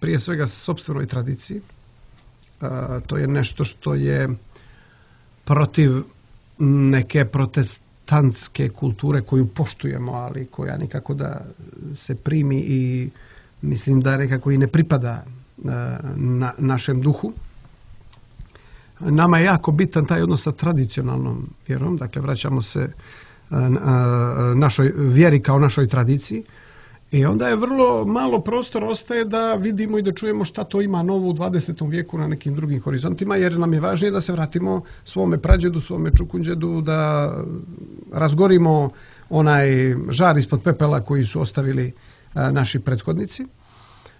prije svega sopstvenoj tradiciji. Uh, to je nešto što je protiv neke protestantske kulture koju poštujemo, ali koja nikako da se primi i mislim da nekako i ne pripada uh, na našem duhu. Nama je jako bitan taj odnos sa tradicionalnom vjerom, dakle vraćamo se našoj vjeri kao našoj tradiciji i onda je vrlo malo prostora ostaje da vidimo i da čujemo šta to ima novo u dvadesetom vijeku na nekim drugim horizontima, jer nam je važnije da se vratimo svome prađedu, svome čukunđedu, da razgorimo onaj žar ispod pepela koji su ostavili naši prethodnici.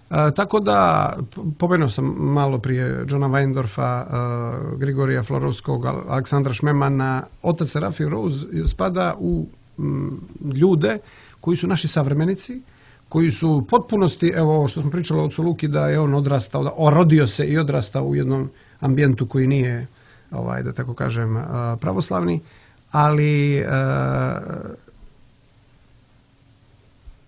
E, tako da, pomenuo sam malo prije Johna Weindorfa, e, Grigorija Florovskog, Aleksandra Šmemana. Otac Serafim Rose spada u m, ljude koji su naši savremenici, koji su u potpunosti, evo ovo što smo pričali o ocu Luki, da je on odrastao, da rodio se i odrastao u jednom ambijentu koji nije, ovaj, da tako kažem, pravoslavni, ali e,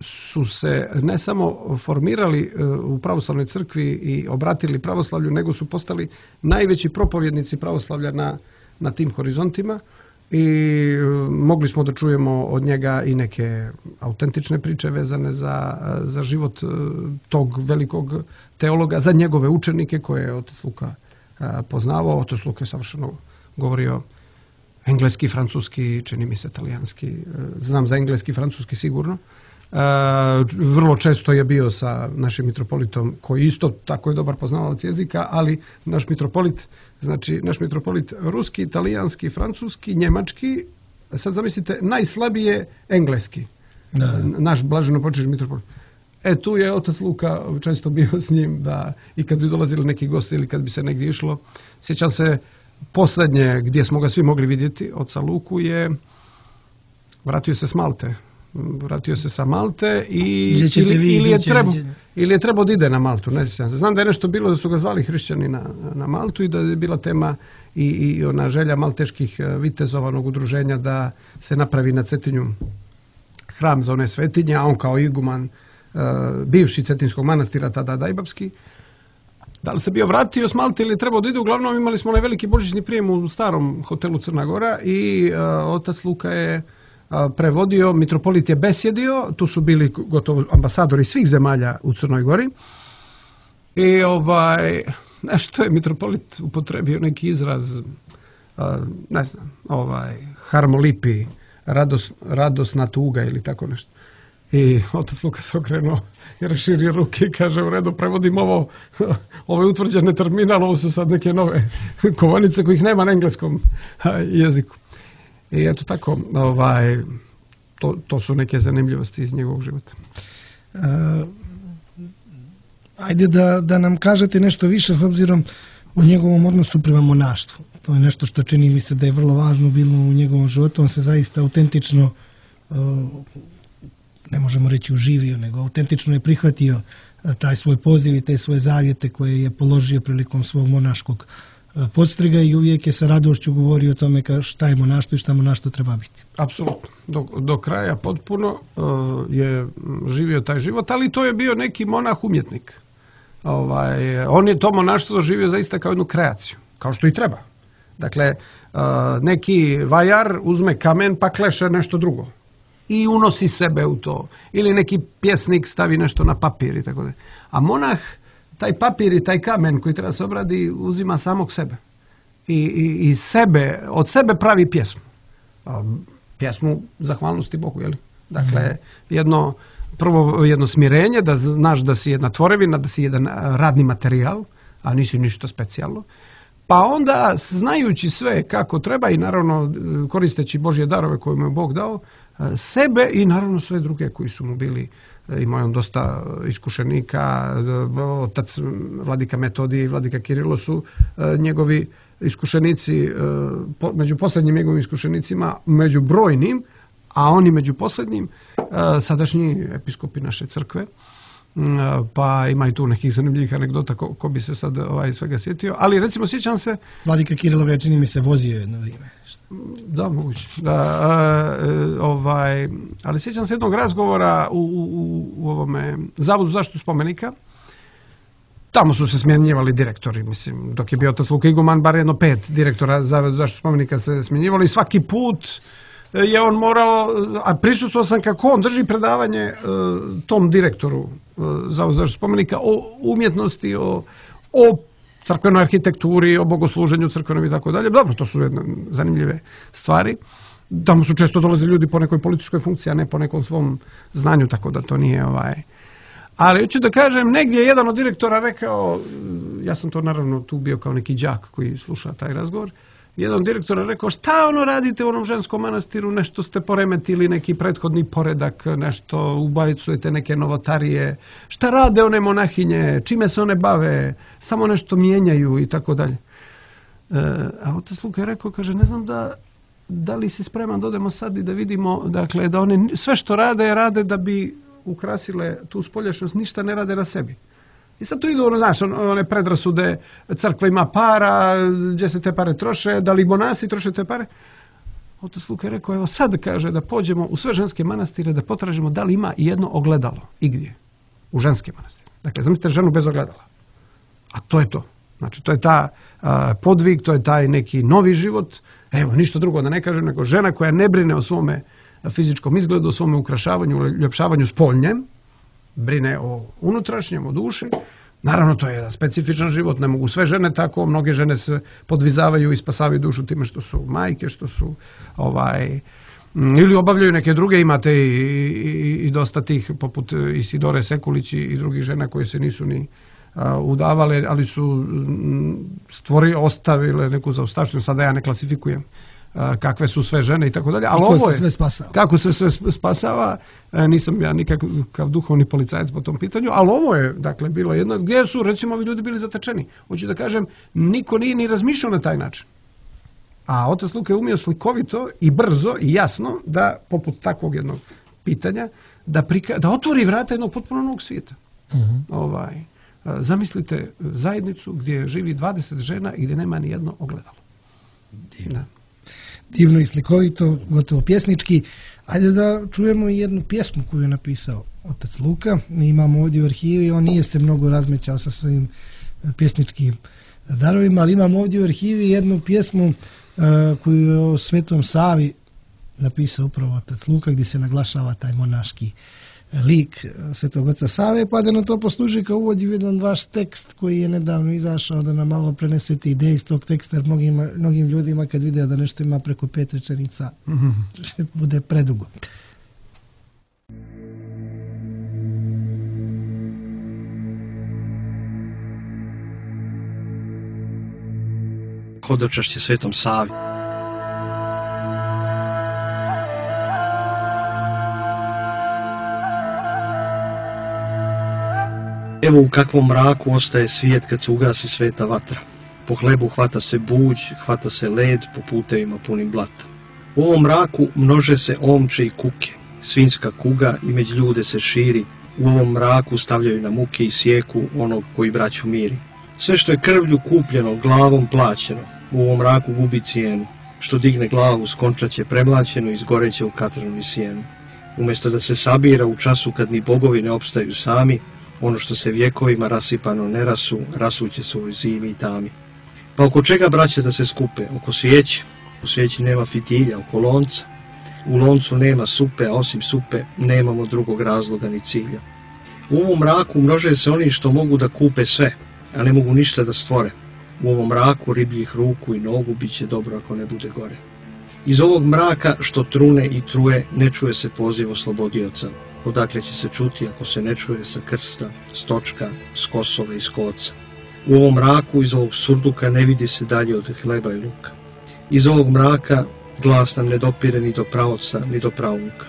su se ne samo formirali u pravoslavnoj crkvi i obratili pravoslavlju, nego su postali najveći propovjednici pravoslavlja na, na tim horizontima i mogli smo da čujemo od njega i neke autentične priče vezane za, za život tog velikog teologa, za njegove učenike koje je otac Luka poznavao. Otac Luka je savršeno govorio engleski, francuski, čini mi se talijanski. Znam za engleski, francuski sigurno. Uh, vrlo često je bio sa našim mitropolitom koji isto tako je dobar poznavalac jezika, ali naš mitropolit, znači naš mitropolit ruski, talijanski, francuski, njemački, sad zamislite najslabije engleski. Da. Naš blaženo počešni mitropolit. E tu je otac Luka često bio s njim da i kad bi dolazili neki gosti ili kad bi se negdje išlo. Sjećam se posljednje gdje smo ga svi mogli vidjeti, oca Luku, je vratio se s Malte. Vratio se sa Malte i ili, vi, ili, je trebao, ili je trebao da ide na Maltu. Ne znam. Znam da je nešto bilo da su ga zvali hrišćani na, na Maltu i da je bila tema i, i ona želja malteških vitezovanog udruženja da se napravi na Cetinju hram za one svetinje, a on kao iguman uh, bivši Cetinskog manastira, tada Dajbapski. Da li se bio vratio s Malte ili je trebao da ide? Uglavnom imali smo onaj veliki božićni prijem u starom hotelu Crna Gora i uh, otac Luka je prevodio, mitropolit je besjedio, tu su bili gotovo ambasadori svih zemalja u Crnoj Gori i ovaj, nešto je mitropolit upotrebio neki izraz, ne znam, ovaj, harmolipi, rados, radosna tuga ili tako nešto. I otac Luka se okrenuo i raširio ruke i kaže, u redu, prevodim ovo, ove utvrđene terminal, ovo su sad neke nove kovanice kojih nema na engleskom jeziku. I eto tako, ovaj, to, to su neke zanimljivosti iz njegovog života. Uh, ajde da, da nam kažete nešto više s obzirom o njegovom odnosu prema monaštvu. To je nešto što čini mi se da je vrlo važno bilo u njegovom životu. On se zaista autentično, uh, ne možemo reći uživio, nego autentično je prihvatio uh, taj svoj poziv i te svoje zavjete koje je položio prilikom svog monaškog podstriga i uvijek je sa radošću govorio o tome šta je monaštvo i šta monaštvo treba biti. Apsolutno. Do, do kraja potpuno uh, je živio taj život, ali to je bio neki monah umjetnik. Ovaj, on je to monaštvo živio zaista kao jednu kreaciju, kao što i treba. Dakle, uh, neki vajar uzme kamen pa kleše nešto drugo i unosi sebe u to. Ili neki pjesnik stavi nešto na papir i tako da. A monah taj papir i taj kamen koji treba se obradi uzima samog sebe. I, i, i sebe, od sebe pravi pjesmu. Pjesmu zahvalnosti Bogu, jel? Dakle, jedno, prvo jedno smirenje, da znaš da si jedna tvorevina, da si jedan radni materijal, a nisi ništa specijalno. Pa onda, znajući sve kako treba i naravno koristeći Božje darove koje mu je Bog dao, sebe i naravno sve druge koji su mu bili. Imao je on dosta iskušenika, otac vladika Metodije i vladika Kirilo su njegovi iskušenici, među posljednjim njegovim iskušenicima, među brojnim, a oni među posljednjim, sadašnji episkopi naše crkve. Pa ima i tu nekih zanimljivih anegdota ko, ko bi se sad ovaj, svega sjetio. Ali recimo sjećam se... Vladika Kirilov je, čini mi se, vozio jedno vrijeme. Da, moguće. Da, a, ovaj, ali sjećam se jednog razgovora u, u, u ovome Zavodu za zaštitu spomenika. Tamo su se smjenjivali direktori, mislim, dok je bio otac Luka iguman, bar jedno pet direktora Zavoda za zaštitu spomenika se smjenjivali i svaki put je on morao, a prisustvovao sam kako on drži predavanje uh, tom direktoru uh, Zavoda za zaštitu spomenika o umjetnosti, o, o crkvenoj arhitekturi, o bogosluženju crkvenom i tako dalje. Dobro, to su jedne zanimljive stvari. Tamo su često dolazili ljudi po nekoj političkoj funkciji, a ne po nekom svom znanju, tako da to nije ovaj... Ali hoću da kažem, negdje je jedan od direktora rekao, ja sam to naravno tu bio kao neki đak koji sluša taj razgovor, jedan od direktora rekao, šta ono radite u onom ženskom manastiru, nešto ste poremetili, neki prethodni poredak, nešto ubacujete neke novotarije, šta rade one monahinje, čime se one bave, samo nešto mijenjaju i tako dalje. A otac Luka je rekao, kaže, ne znam da, da li si spreman da odemo sad i da vidimo, dakle, da one sve što rade, rade da bi ukrasile tu spoljašnjost, ništa ne rade na sebi. I sad tu idu, ono, znaš, one predrasude, crkva ima para, gdje se te pare troše, da li monasi troše te pare. Otac Luka je rekao, evo sad kaže da pođemo u sve ženske manastire da potražimo da li ima i jedno ogledalo igdje u ženske manastire. Dakle, zamislite ženu bez ogledala. A to je to. Znači, to je ta a, podvig, to je taj neki novi život. Evo, ništa drugo da ne kažem, nego žena koja ne brine o svome fizičkom izgledu, o svome ukrašavanju, ljepšavanju spoljnjem, brine o unutrašnjem, o duši. Naravno, to je jedan specifičan život, ne mogu sve žene tako, mnoge žene se podvizavaju i spasavaju dušu time što su majke, što su ovaj, ili obavljaju neke druge, imate i, i, i dosta tih, poput Isidore Sekulić i drugih žena koje se nisu ni a, udavale, ali su stvorili, ostavile neku zaostavštinu, sada ja ne klasifikujem kakve su sve žene i tako dalje. Ali kako ovo je, se sve spasava. Kako se sve spasava, nisam ja nikakav duhovni policajac po tom pitanju, ali ovo je, dakle, bilo jedno, gdje su, recimo, ovi ljudi bili zatečeni. Hoću da kažem, niko nije ni razmišljao na taj način. A otac Luka je umio slikovito i brzo i jasno da, poput takvog jednog pitanja, da, prika, da otvori vrata jednog potpuno novog svijeta. Uh-huh. Ovaj, zamislite zajednicu gdje živi dvadeset žena i gdje nema ni jedno ogledalo. Divno. Da. Divno i slikovito, gotovo pjesnički. Ajde da čujemo i jednu pjesmu koju je napisao otac Luka. Mi imamo ovdje u arhivi, on nije se mnogo razmećao sa svojim pjesničkim darovima, ali imamo ovdje u arhivi jednu pjesmu uh, koju je o Svetom Savi napisao upravo otac Luka, gdje se naglašava taj monaški lik Svetog oca Save, pa da nam to posluži kao uvod u jedan vaš tekst koji je nedavno izašao, da nam malo prenesete ideje iz tog teksta, jer mnogim, mnogim ljudima kad vide da nešto ima preko pet rečenica, mm-hmm. bude predugo. Hodočašće Svetom Savi. Evo u kakvom mraku ostaje svijet kad se ugasi sveta vatra. Po hlebu hvata se buđ, hvata se led po putevima punim blata. U ovom mraku množe se omče i kuke, svinjska kuga i među ljude se širi. U ovom mraku stavljaju na muke i sjeku onog koji braću miri. Sve što je krvlju kupljeno, glavom plaćeno, u ovom mraku gubi cijenu. Što digne glavu skončaće premlaćeno i zgoreće u katranu i sjenu. Umjesto da se sabira u času kad ni bogovi ne opstaju sami, ono što se vjekovima rasipano ne rasu, rasuće se u zimi i tami. Pa oko čega, braće, da se skupe? Oko svijeće. U svijeći nema fitilja, oko lonca. U loncu nema supe, a osim supe nemamo drugog razloga ni cilja. U ovom mraku množe se oni što mogu da kupe sve, a ne mogu ništa da stvore. U ovom mraku ribljih ruku i nogu bit će dobro ako ne bude gore. Iz ovog mraka što trune i truje ne čuje se poziv oslobodioca. Odakle će se čuti ako se ne čuje sa krsta, stočka, s Kosova i s Koca. U ovom mraku iz ovog surduka ne vidi se dalje od hleba i luka. Iz ovog mraka glas nam ne dopire ni do pravca, ni do pravuka.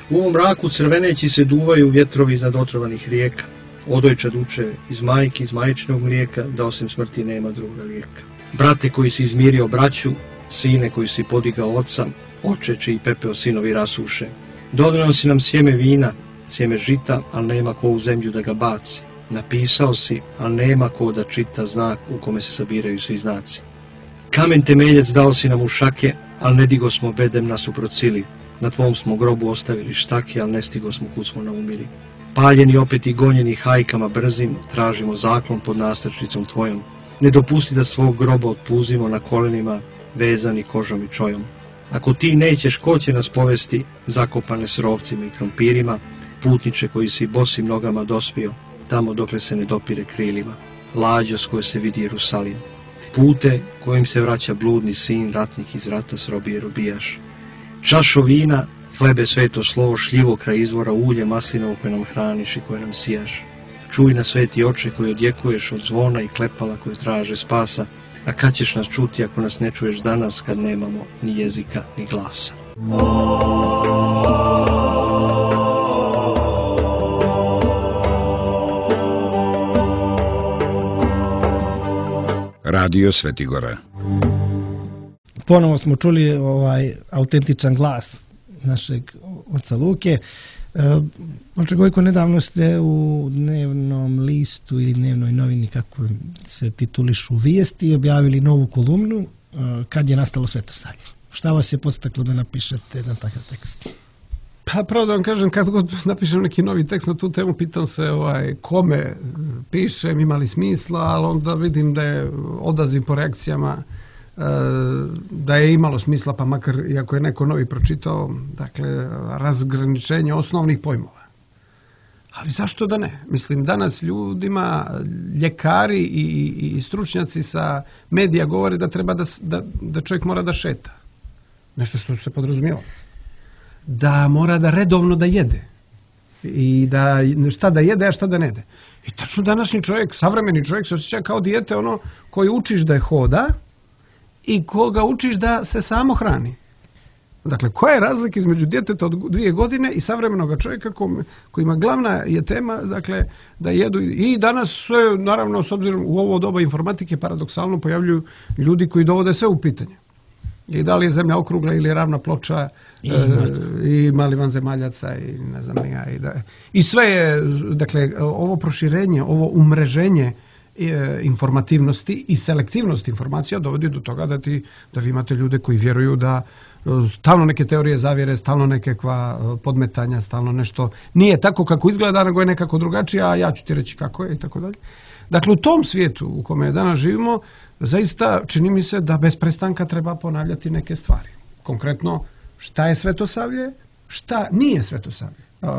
U ovom mraku crveneći se duvaju vjetrovi iznad otrovanih rijeka. Odojčad uče iz majke, iz majčinog mlijeka, da osim smrti nema druga lijeka. Brate koji si izmirio braću, sine koji si podigao oca, oče čiji pepeo sinovi rasuše. Donio si nam sjeme vina, sjeme žita, ali nema ko u zemlju da ga baci. Napisao si, ali nema ko da čita znak u kome se sabiraju svi znaci. Kamen temeljac dao si nam u šake, ali ne digo smo bedem nasuprot sili. Na tvom smo grobu ostavili štake, ali ne stigo smo kud smo naumili. Paljeni opet i gonjeni hajkama brzim, tražimo zaklon pod nastrčnicom tvojom. Ne dopusti da svog groba otpuzimo na kolenima, vezani kožom i čojom. Ako ti nećeš, ko će nas povesti, zakopane s rovcima i krompirima, putniče koji si bosim nogama dospio, tamo dokle se ne dopire krilima, lađo s koje se vidi Jerusalim. Pute kojim se vraća bludni sin, ratnik iz rata s robije robijaš. Čašo vina, hlebe sveto slovo, šljivo kraj izvora, ulje maslinovo koje nam hraniš i koje nam sijaš. Čuj na sveti oče koji odjekuješ od zvona i klepala koje traže spasa, a kad ćeš nas čuti ako nas ne čuješ danas kad nemamo ni jezika ni glasa. Radio Svetigora. Ponovo smo čuli ovaj autentičan glas našeg oca Luke. Oče Gojko, nedavno ste u dnevnom listu ili dnevnoj novini, kako se titulišu, vijesti, objavili novu kolumnu kad je nastalo Svetosavlje. Šta vas je podstaklo da napišete jedan takav tekst? Pa pravo da vam kažem, kad god napišem neki novi tekst na tu temu, pitam se ovaj, kome pišem, ima li smisla, ali onda vidim da je odaziv po reakcijama da je imalo smisla, pa makar iako je neko novi pročitao, dakle, razgraničenje osnovnih pojmova. Ali zašto da ne? Mislim, danas ljudima, ljekari i, i stručnjaci sa medija govore da treba da, da, da čovjek mora da šeta. Nešto što se podrazumijeva. Da mora da redovno da jede. I da šta da jede, a šta da ne jede. I tačno današnji čovjek, savremeni čovjek se osjeća kao dijete ono koji učiš da je hoda i koga učiš da se samo hrani. Dakle, koja je razlika između djeteta od dvije godine i savremenog čovjeka koji ima glavna je tema, dakle, da jedu. I danas sve, naravno, s obzirom u ovo doba informatike, paradoksalno pojavljuju ljudi koji dovode sve u pitanje. I da li je zemlja okrugla ili je ravna ploča, i, e, i mali vanzemaljaca i ne znam ja. I, da, I sve je, dakle, ovo proširenje, ovo umreženje e, informativnosti i selektivnost informacija dovodi do toga da, ti, da vi imate ljude koji vjeruju da stalno neke teorije zavjere, stalno nekakva podmetanja, stalno nešto nije tako kako izgleda, nego je nekako drugačije, a ja ću ti reći kako je i tako dalje. Dakle, u tom svijetu u kome danas živimo, zaista čini mi se da bez prestanka treba ponavljati neke stvari. Konkretno, šta je Svetosavlje, šta nije Svetosavlje. Uh,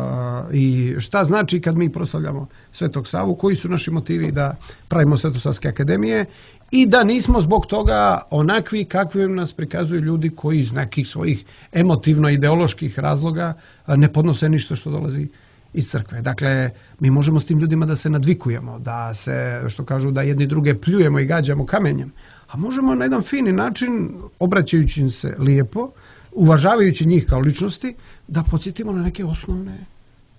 I šta znači kad mi proslavljamo Svetog Savu, koji su naši motivi da pravimo Svetosavske akademije i da nismo zbog toga onakvi kakvim nas prikazuju ljudi koji iz nekih svojih emotivno-ideoloških razloga ne podnose ništa što dolazi iz crkve. Dakle, mi možemo s tim ljudima da se nadvikujemo, da se, što kažu, da jedni druge pljujemo i gađamo kamenjem, a možemo na jedan fini način, obraćajući im se lijepo, uvažavajući njih kao ličnosti, da podsjetimo na neke osnovne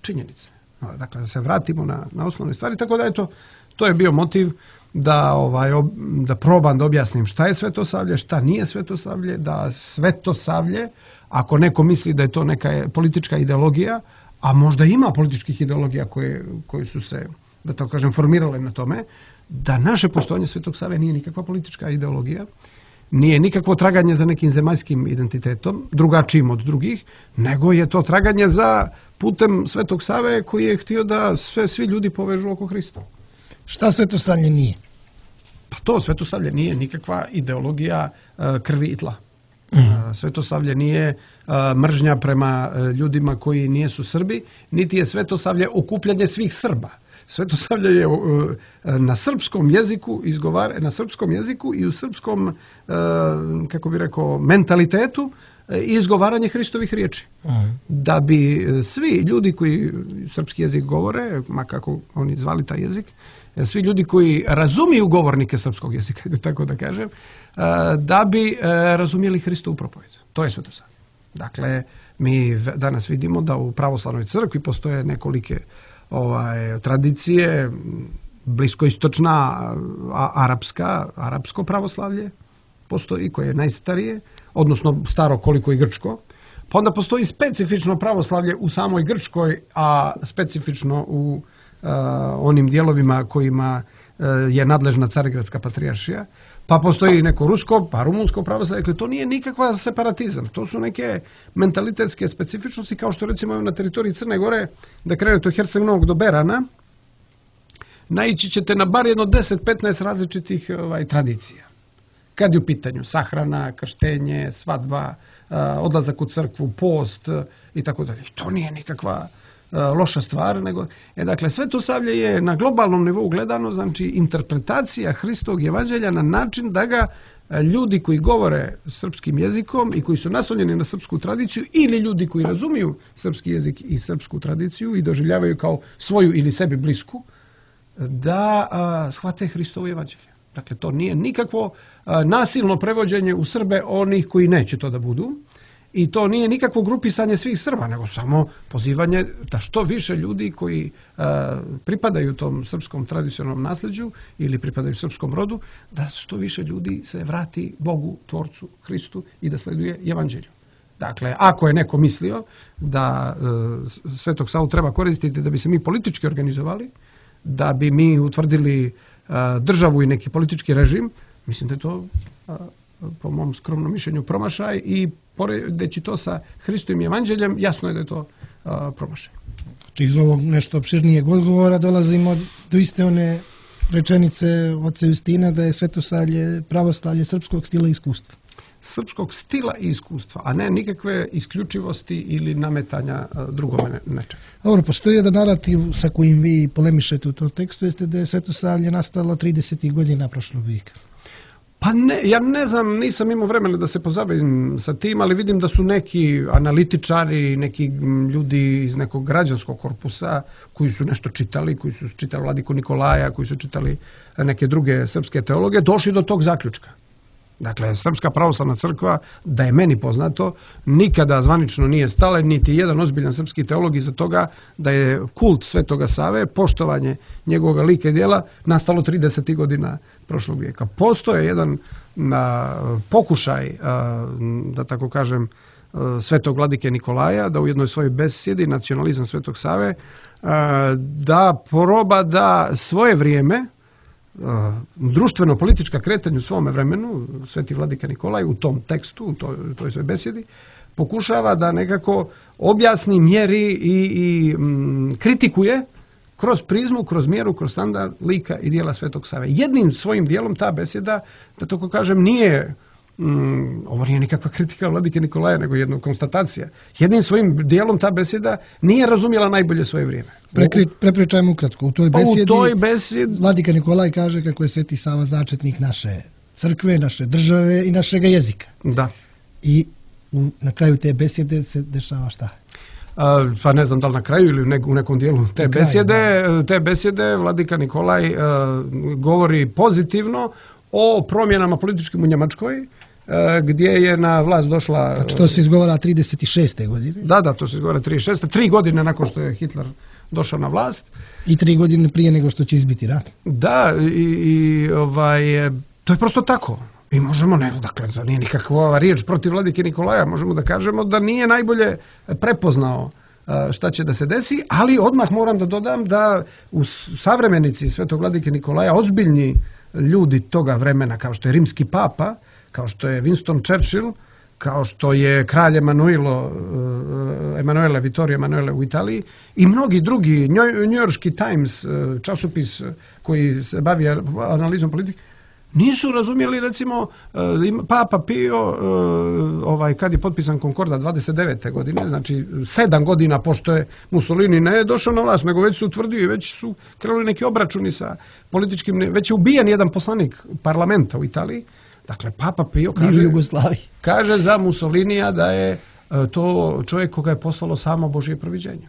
činjenice. Dakle, da se vratimo na, na osnovne stvari. Tako da, eto, to je bio motiv da, ovaj, ob, da probam da objasnim šta je Svetosavlje, šta nije Svetosavlje, da Svetosavlje, ako neko misli da je to neka politička ideologija, a možda ima političkih ideologija koje, koje su se, da to kažem, formirale na tome, da naše poštovanje Svetog Save nije nikakva politička ideologija, nije nikakvo traganje za nekim zemaljskim identitetom, drugačijim od drugih, nego je to traganje za putem Svetog Save koji je htio da sve, svi ljudi povežu oko Hrista. Šta Svetosavlje nije? Pa to Svetosavlje nije nikakva ideologija uh, krvi i tla. Mm. Uh, Svetosavlje nije uh, mržnja prema uh, ljudima koji nijesu Srbi, niti je Svetosavlje okupljanje svih Srba. Svetosavlje je uh, na srpskom jeziku izgovara, na srpskom jeziku i u srpskom, uh, kako bi rekao, mentalitetu uh, izgovaranje Hristovih riječi. Mm. Da bi uh, svi ljudi koji srpski jezik govore, ma kako oni zvali taj jezik, svi ljudi koji razumiju govornike srpskog jezika, tako da kažem, da bi razumjeli Hristovu propovijed. To je Svetosavlje. Dakle, mi danas vidimo da u pravoslavnoj crkvi postoje nekolike ovaj, tradicije, bliskoistočna, a, arapska, arapsko pravoslavlje postoji, koje je najstarije, odnosno staro koliko i grčko. Pa onda postoji specifično pravoslavlje u samoj Grčkoj, a specifično u Uh, onim dijelovima kojima uh, je nadležna Carigradska patrijaršija, pa postoji neko rusko, pa rumunsko pravoslavlje. Dakle, to nije nikakva separatizam. To su neke mentalitetske specifičnosti, kao što recimo na teritoriji Crne Gore, da krenete od Herceg Novog do Berana, naići ćete na bar jedno deset do petnaest različitih ovaj, tradicija. Kad je u pitanju sahrana, krštenje, svadba, uh, odlazak u crkvu, post uh, i tako dalje. To nije nikakva loša stvar, nego, e, dakle, Svetosavlje je na globalnom nivou gledano, znači, interpretacija Hristovog evanđelja na način da ga ljudi koji govore srpskim jezikom i koji su naslonjeni na srpsku tradiciju ili ljudi koji razumiju srpski jezik i srpsku tradiciju i doživljavaju kao svoju ili sebi blisku, da a, shvate Hristovo evanđelje. Dakle, to nije nikakvo a, nasilno prevođenje u Srbe onih koji neće to da budu. I to nije nikakvo grupisanje svih Srba, nego samo pozivanje da što više ljudi koji uh, pripadaju tom srpskom tradicionalnom nasljeđu ili pripadaju srpskom rodu, da što više ljudi se vrati Bogu, Tvorcu, Hristu i da sleduje evanđelju. Dakle, ako je neko mislio da uh, Svetog Savu treba koristiti da bi se mi politički organizovali, da bi mi utvrdili uh, državu i neki politički režim, mislim da je to uh, po mom skromnom mišljenju, promašaj i poredeći to sa Hristovim evanđeljem, jasno je da je to a, promašaj. Znači iz ovog nešto opširnijeg odgovora dolazimo do iste one rečenice oca Justina da je Svetosavlje pravoslavlje srpskog stila i iskustva. Srpskog stila i iskustva, a ne nikakve isključivosti ili nametanja drugome nečega. Dobro, postoji jedan narativ sa kojim vi polemišete u tom tekstu, jeste da je Svetosavlje nastalo tridesetih godina prošlog vijeka. Pa ne, ja ne znam, nisam imao vremena da se pozabavim sa tim, ali vidim da su neki analitičari, neki ljudi iz nekog građanskog korpusa koji su nešto čitali, koji su čitali Vladiku Nikolaja, koji su čitali neke druge srpske teologe, došli do tog zaključka. Dakle, Srpska pravoslavna crkva, da je meni poznato, nikada zvanično nije stala, niti jedan ozbiljan srpski teolog iza toga da je kult Svetoga Save, poštovanje njegovog lika i djela, nastalo tridesetih godina prošlog vijeka. Postoje jedan na, pokušaj, a, da tako kažem, a, Svetog Vladike Nikolaja, da u jednoj svojoj besjedi, Nacionalizam Svetog Save, a, da proba da svoje vrijeme, društveno-politička kretanja u svome vremenu, Sveti Vladika Nikolaj u tom tekstu, u toj, u toj svojoj besjedi, pokušava da nekako objasni, mjeri i, i m, kritikuje kroz prizmu, kroz mjeru, kroz standard lika i dijela Svetog Save. Jednim svojim dijelom ta besjeda, da tako kažem, nije, mm, ovo nije nikakva kritika Vladike Nikolaja, nego jedna konstatacija. Jednim svojim dijelom ta besjeda nije razumjela najbolje svoje vrijeme. Prekri, prepričajmo ukratko. U toj besjedi, pa u toj besjedi Vladika Nikolaj kaže kako je Sveti Sava začetnik naše crkve, naše države i našeg jezika. Da. I u, na kraju te besjede se dešava šta? A, pa ne znam da li na kraju ili u, nek, u nekom dijelu te kraju, besjede, da. te besjede Vladika Nikolaj a, govori pozitivno o promjenama političkim u Njemačkoj, a, gdje je na vlast došla... Znači to se izgovara trideset šeste godine? Da, da, to se izgovara trideset šeste Tri godine nakon što je Hitler došao na vlast. I tri godine prije nego što će izbiti rat. Da, i, i ovaj, to je prosto tako. I možemo, ne, dakle, to nije nikakva riječ protiv Vladike Nikolaja, možemo da kažemo da nije najbolje prepoznao šta će da se desi, ali odmah moram da dodam da u savremenici Svetog Vladike Nikolaja ozbiljni ljudi toga vremena, kao što je rimski papa, kao što je Winston Churchill, kao što je kralj Emanuelo, Emanuele, Vittorio Emanuele u Italiji i mnogi drugi, njujorški Times, časopis koji se bavi analizom politike, nisu razumjeli, recimo, Papa Pio, ovaj, kad je potpisan Konkordat dvadeset devete godine, znači sedam godina pošto je Mussolini ne došao na vlast, nego već su utvrdio i već su krenuli neki obračuni sa političkim, već je ubijen jedan poslanik parlamenta u Italiji. Dakle, Papa Pio kaže, kaže za Mussolinija da je to čovjek koga je poslalo samo Božje proviđenje.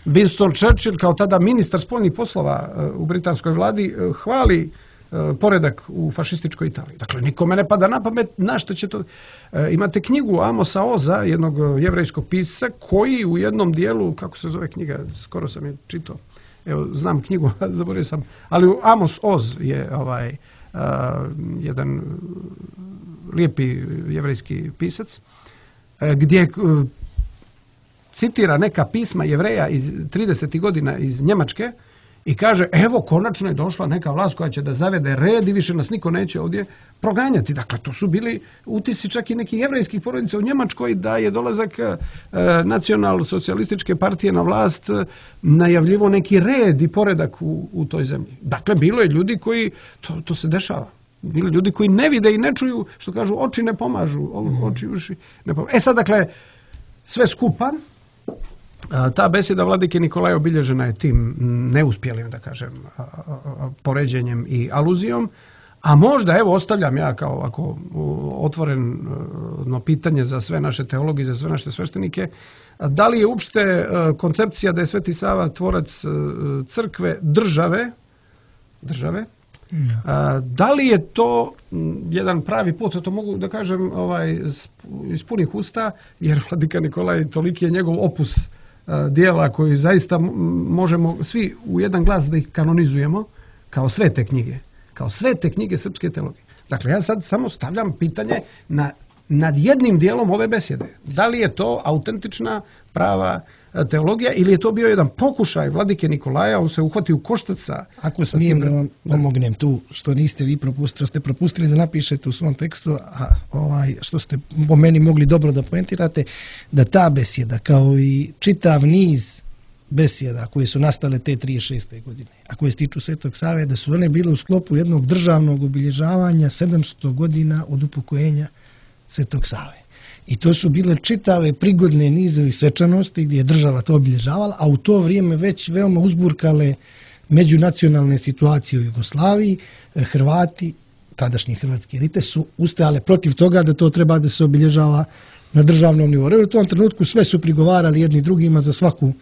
Winston Churchill, kao tada ministar spoljnih poslova u britanskoj vladi, hvali poredak u fašističkoj Italiji. Dakle, nikome ne pada na pamet na što će to... E, imate knjigu Amosa Oza, jednog jevrejskog pisca, koji u jednom dijelu, kako se zove knjiga, skoro sam je čitao, evo, znam knjigu, zaboravio sam, ali Amos Oz je ovaj, a, jedan lijepi jevrejski pisac, a, gdje a, citira neka pisma Jevreja iz tridesetih godina iz Njemačke, i kaže, evo, konačno je došla neka vlast koja će da zavede red i više nas niko neće ovdje proganjati. Dakle, to su bili utisci čak i nekih jevrejskih porodica u Njemačkoj da je dolazak e, nacional-socijalističke partije na vlast e, najavljivo neki red i poredak u, u toj zemlji. Dakle, bilo je ljudi koji, to, to se dešava, bilo ljudi koji ne vide i ne čuju, što kažu, oči ne pomažu, oči, uši ne pomažu. E sad, dakle, sve skupa, ta besjeda Vladike Nikolaja obilježena je tim neuspjelim, da kažem, poređenjem i aluzijom, a možda, evo, ostavljam ja kao ako otvoreno pitanje za sve naše teologi, za sve naše sveštenike, da li je uopšte koncepcija da je Sveti Sava tvorac crkve države, države, ja. Da li je to jedan pravi put, to mogu da kažem ovaj, iz punih usta, jer Vladika Nikolaj toliki je njegov opus dijela koji zaista možemo svi u jedan glas da ih kanonizujemo kao svete knjige, kao svete knjige srpske teologije. Dakle, ja sad samo stavljam pitanje na, nad jednim dijelom ove besjede. Da li je to autentična, prava teologija ili je to bio jedan pokušaj vladike Nikolaja, on se uhvati u koštac sa... Ako smijem da vam pomognem tu, što niste vi propustili, što ste propustili da napišete u svom tekstu, a ovaj, što ste po meni mogli dobro da poentirate, da ta besjeda, kao i čitav niz besjeda koje su nastale te trideset šeste godine, a koje se tiču Svetog Save, da su one bile u sklopu jednog državnog obilježavanja sedamsto godina od upokojenja Svetog Save. I to su bile čitave prigodne nizovi svečanosti gdje je država to obilježavala, a u to vrijeme već veoma uzburkale međunacionalne situacije u Jugoslaviji. Hrvati, tadašnji hrvatski elite, su ustajale protiv toga da to treba da se obilježava na državnom nivou. U tom trenutku sve su prigovarali jedni drugima za svaku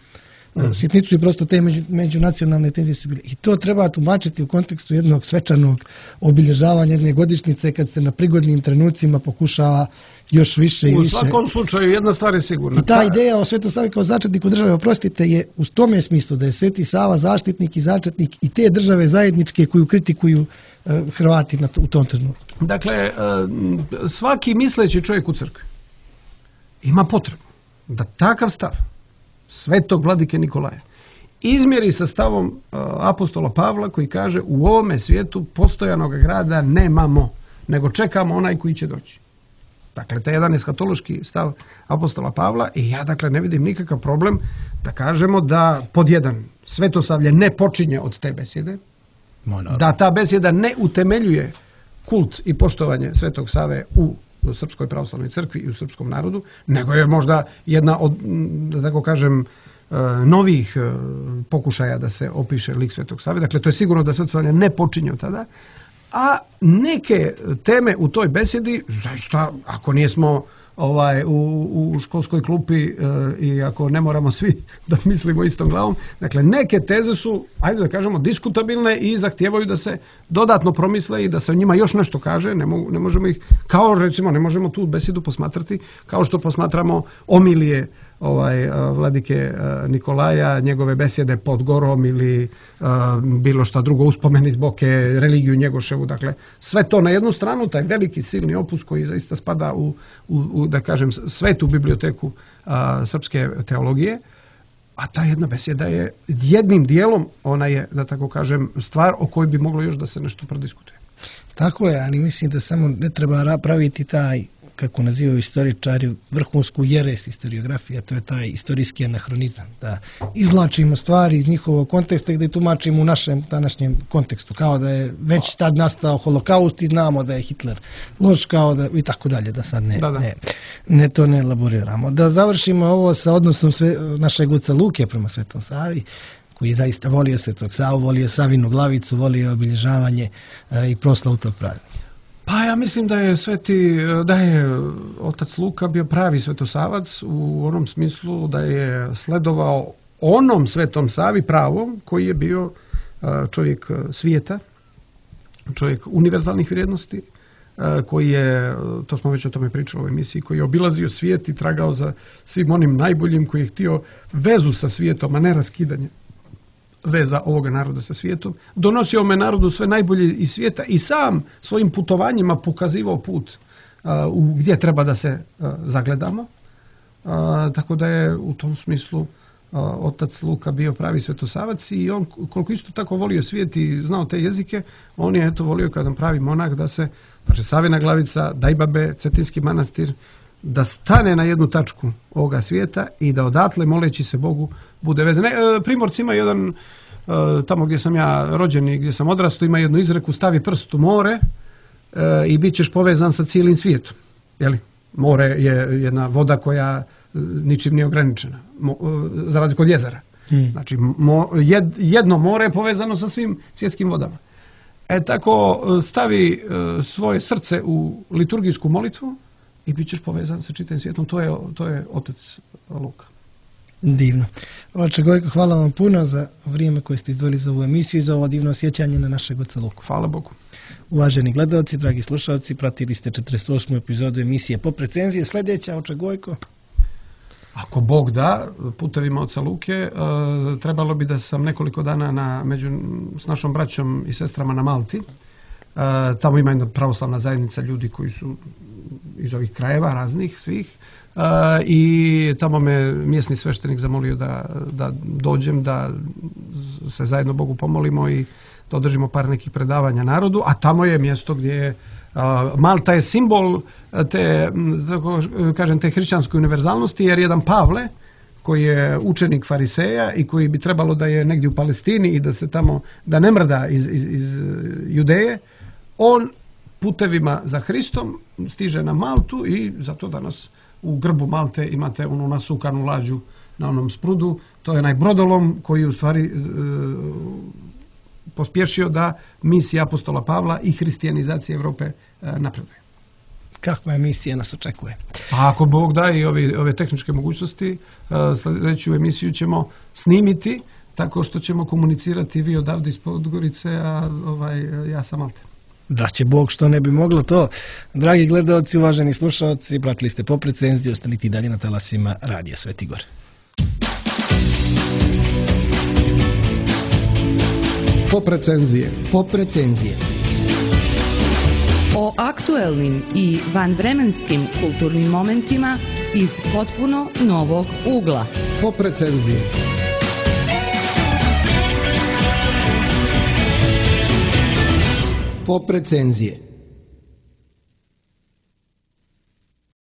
sitnicu i prosto te među, međunacionalne tenzije su bile. I to treba tumačiti u kontekstu jednog svečanog obilježavanja jedne godišnjice kad se na prigodnim trenucima pokušava još više i više. U svakom slučaju jedna stvar je sigurna. I ta ideja o Svetom Savi kao začetniku države, oprostite, je u tome smislu da je Sveti Sava zaštitnik i začetnik i te države zajedničke koju kritikuju uh, Hrvati na to, u tom trenutku. Dakle, uh, svaki misleći čovjek u crkvi ima potrebu da takav stav Svetog vladike Nikolaja izmjeri sa stavom uh, apostola Pavla koji kaže u ovome svijetu postojanog grada nemamo, nego čekamo onaj koji će doći. Dakle, taj jedan eskatološki stav apostola Pavla i ja dakle ne vidim nikakav problem da kažemo da pod jedan svetosavlje ne počinje od te besjede, da ta besjeda ne utemeljuje kult i poštovanje Svetog Save u Srpskoj pravoslavnoj crkvi i u srpskom narodu, nego je možda jedna od, da tako kažem, novih pokušaja da se opiše lik Svetog Save. Dakle, to je sigurno da svetosavlje ne počinje od tada, a neke teme u toj besjedi, zaista, ako nismo ovaj, u, u školskoj klupi e, i ako ne moramo svi da mislimo istom glavom, dakle, neke teze su, ajde da kažemo, diskutabilne i zahtijevaju da se dodatno promisle i da se o njima još nešto kaže. Ne, mo, ne možemo ih, kao recimo, ne možemo tu besjedu posmatrati kao što posmatramo omilije ovaj, vladike Nikolaja, njegove besjede pod gorom ili a, bilo šta drugo, uspomeni iz Boke, religiju Njegoševu. Dakle, sve to na jednu stranu, taj veliki silni opus koji zaista spada u, u, u da kažem, svetu biblioteku a, srpske teologije, a ta jedna besjeda je jednim dijelom, ona je, da tako kažem, stvar o kojoj bi moglo još da se nešto prodiskutuje. Tako je, ali mislim da samo ne treba praviti taj, kako nazivaju istoričari, vrhunsku jeres historiografija, to je taj istorijski anahronizam, da izvlačimo stvari iz njihovog konteksta i da je tumačimo u našem današnjem kontekstu, kao da je već tad nastao holokaust i znamo da je Hitler loš, kao da i tako dalje, da sad ne, da, da. ne, ne to ne elaboriramo. Da završimo ovo sa odnosom sve, našeg oca Luke prema Svetom Savi, koji je zaista volio Svetog Savu, volio Savinu glavicu, volio obilježavanje e, i proslavu tog praznika. Pa ja mislim da je sveti, da je otac Luka bio pravi svetosavac u onom smislu da je sledovao onom Svetom Savi pravom koji je bio čovjek svijeta, čovjek univerzalnih vrijednosti, koji je, to smo već o tome pričali u ovoj emisiji, koji je obilazio svijet i tragao za svim onim najboljim, koji je htio vezu sa svijetom, a ne raskidanje veza ovoga naroda sa svijetom. Donosio ome narodu sve najbolje iz svijeta i sam svojim putovanjima pokazivao put uh, u gdje treba da se uh, zagledamo. Uh, tako da je u tom smislu uh, otac Luka bio pravi svetosavac i on koliko isto tako volio svijet i znao te jezike, on je eto volio kao pravi monah da se, znači Savina glavica, Dajbabe, Cetinski manastir, da stane na jednu tačku ovoga svijeta i da odatle, moleći se Bogu, bude vezan. Primorci ima jedan, tamo gdje sam ja rođen i gdje sam odrastao, ima jednu izreku, stavi prst u more i bit ćeš povezan sa cijelim svijetom. Jeli? More je jedna voda koja ničim nije ograničena, za razliku od jezera. Hmm. Znači, jedno more je povezano sa svim svjetskim vodama. E tako, stavi svoje srce u liturgijsku molitvu i bit ćeš povezan sa čitavim svijetom. To je, to je otac Luka. Divno. Oče Gojko, hvala vam puno za vrijeme koje ste izdvojili za ovu emisiju i za ovo divno sjećanje na našeg oca Luku. Hvala Bogu. Uvaženi gledalci, dragi slušalci, pratili ste četrdeset osmu epizodu emisije Pop recenzije. Sljedeća, oče Gojko? Ako Bog da, putevima oca Luke, uh, trebalo bi da sam nekoliko dana na, među, s našom braćom i sestrama na Malti. tamo ima jedna pravoslavna zajednica ljudi koji su iz ovih krajeva raznih svih uh, i tamo me mjesni sveštenik zamolio da, da dođem, da se zajedno Bogu pomolimo i da održimo par nekih predavanja narodu, a tamo je mjesto gdje je uh, Malta je simbol te, tako kažem, te hrišćanske univerzalnosti, jer jedan Pavle koji je učenik fariseja i koji bi trebalo da je negdje u Palestini i da se tamo, da ne mrda iz, iz, iz Judeje, on putevima za Hristom stiže na Maltu i zato danas u grbu Malte imate onu nasukanu lađu na onom sprudu. To je onaj brodolom koji je u stvari e, pospješio da misija apostola Pavla i hristijanizacija Europe e, napreduje. Kakva emisija nas očekuje? A ako Bog da i ove, ove tehničke mogućnosti, e, sljedeću emisiju ćemo snimiti tako što ćemo komunicirati vi odavde iz Podgorice, a ovaj, ja sam Malte. Da će Bog, što ne bi moglo to. Dragi gledaoci, uvaženi slušaoci, pratili ste Pop recenziju, ostanite i dalje na talasima Radija Sveti Gor. Pop recenzije. Pop recenzije. O aktuelnim i vanvremenskim kulturnim momentima iz potpuno novog ugla. Pop recenzije. Pop recenzije.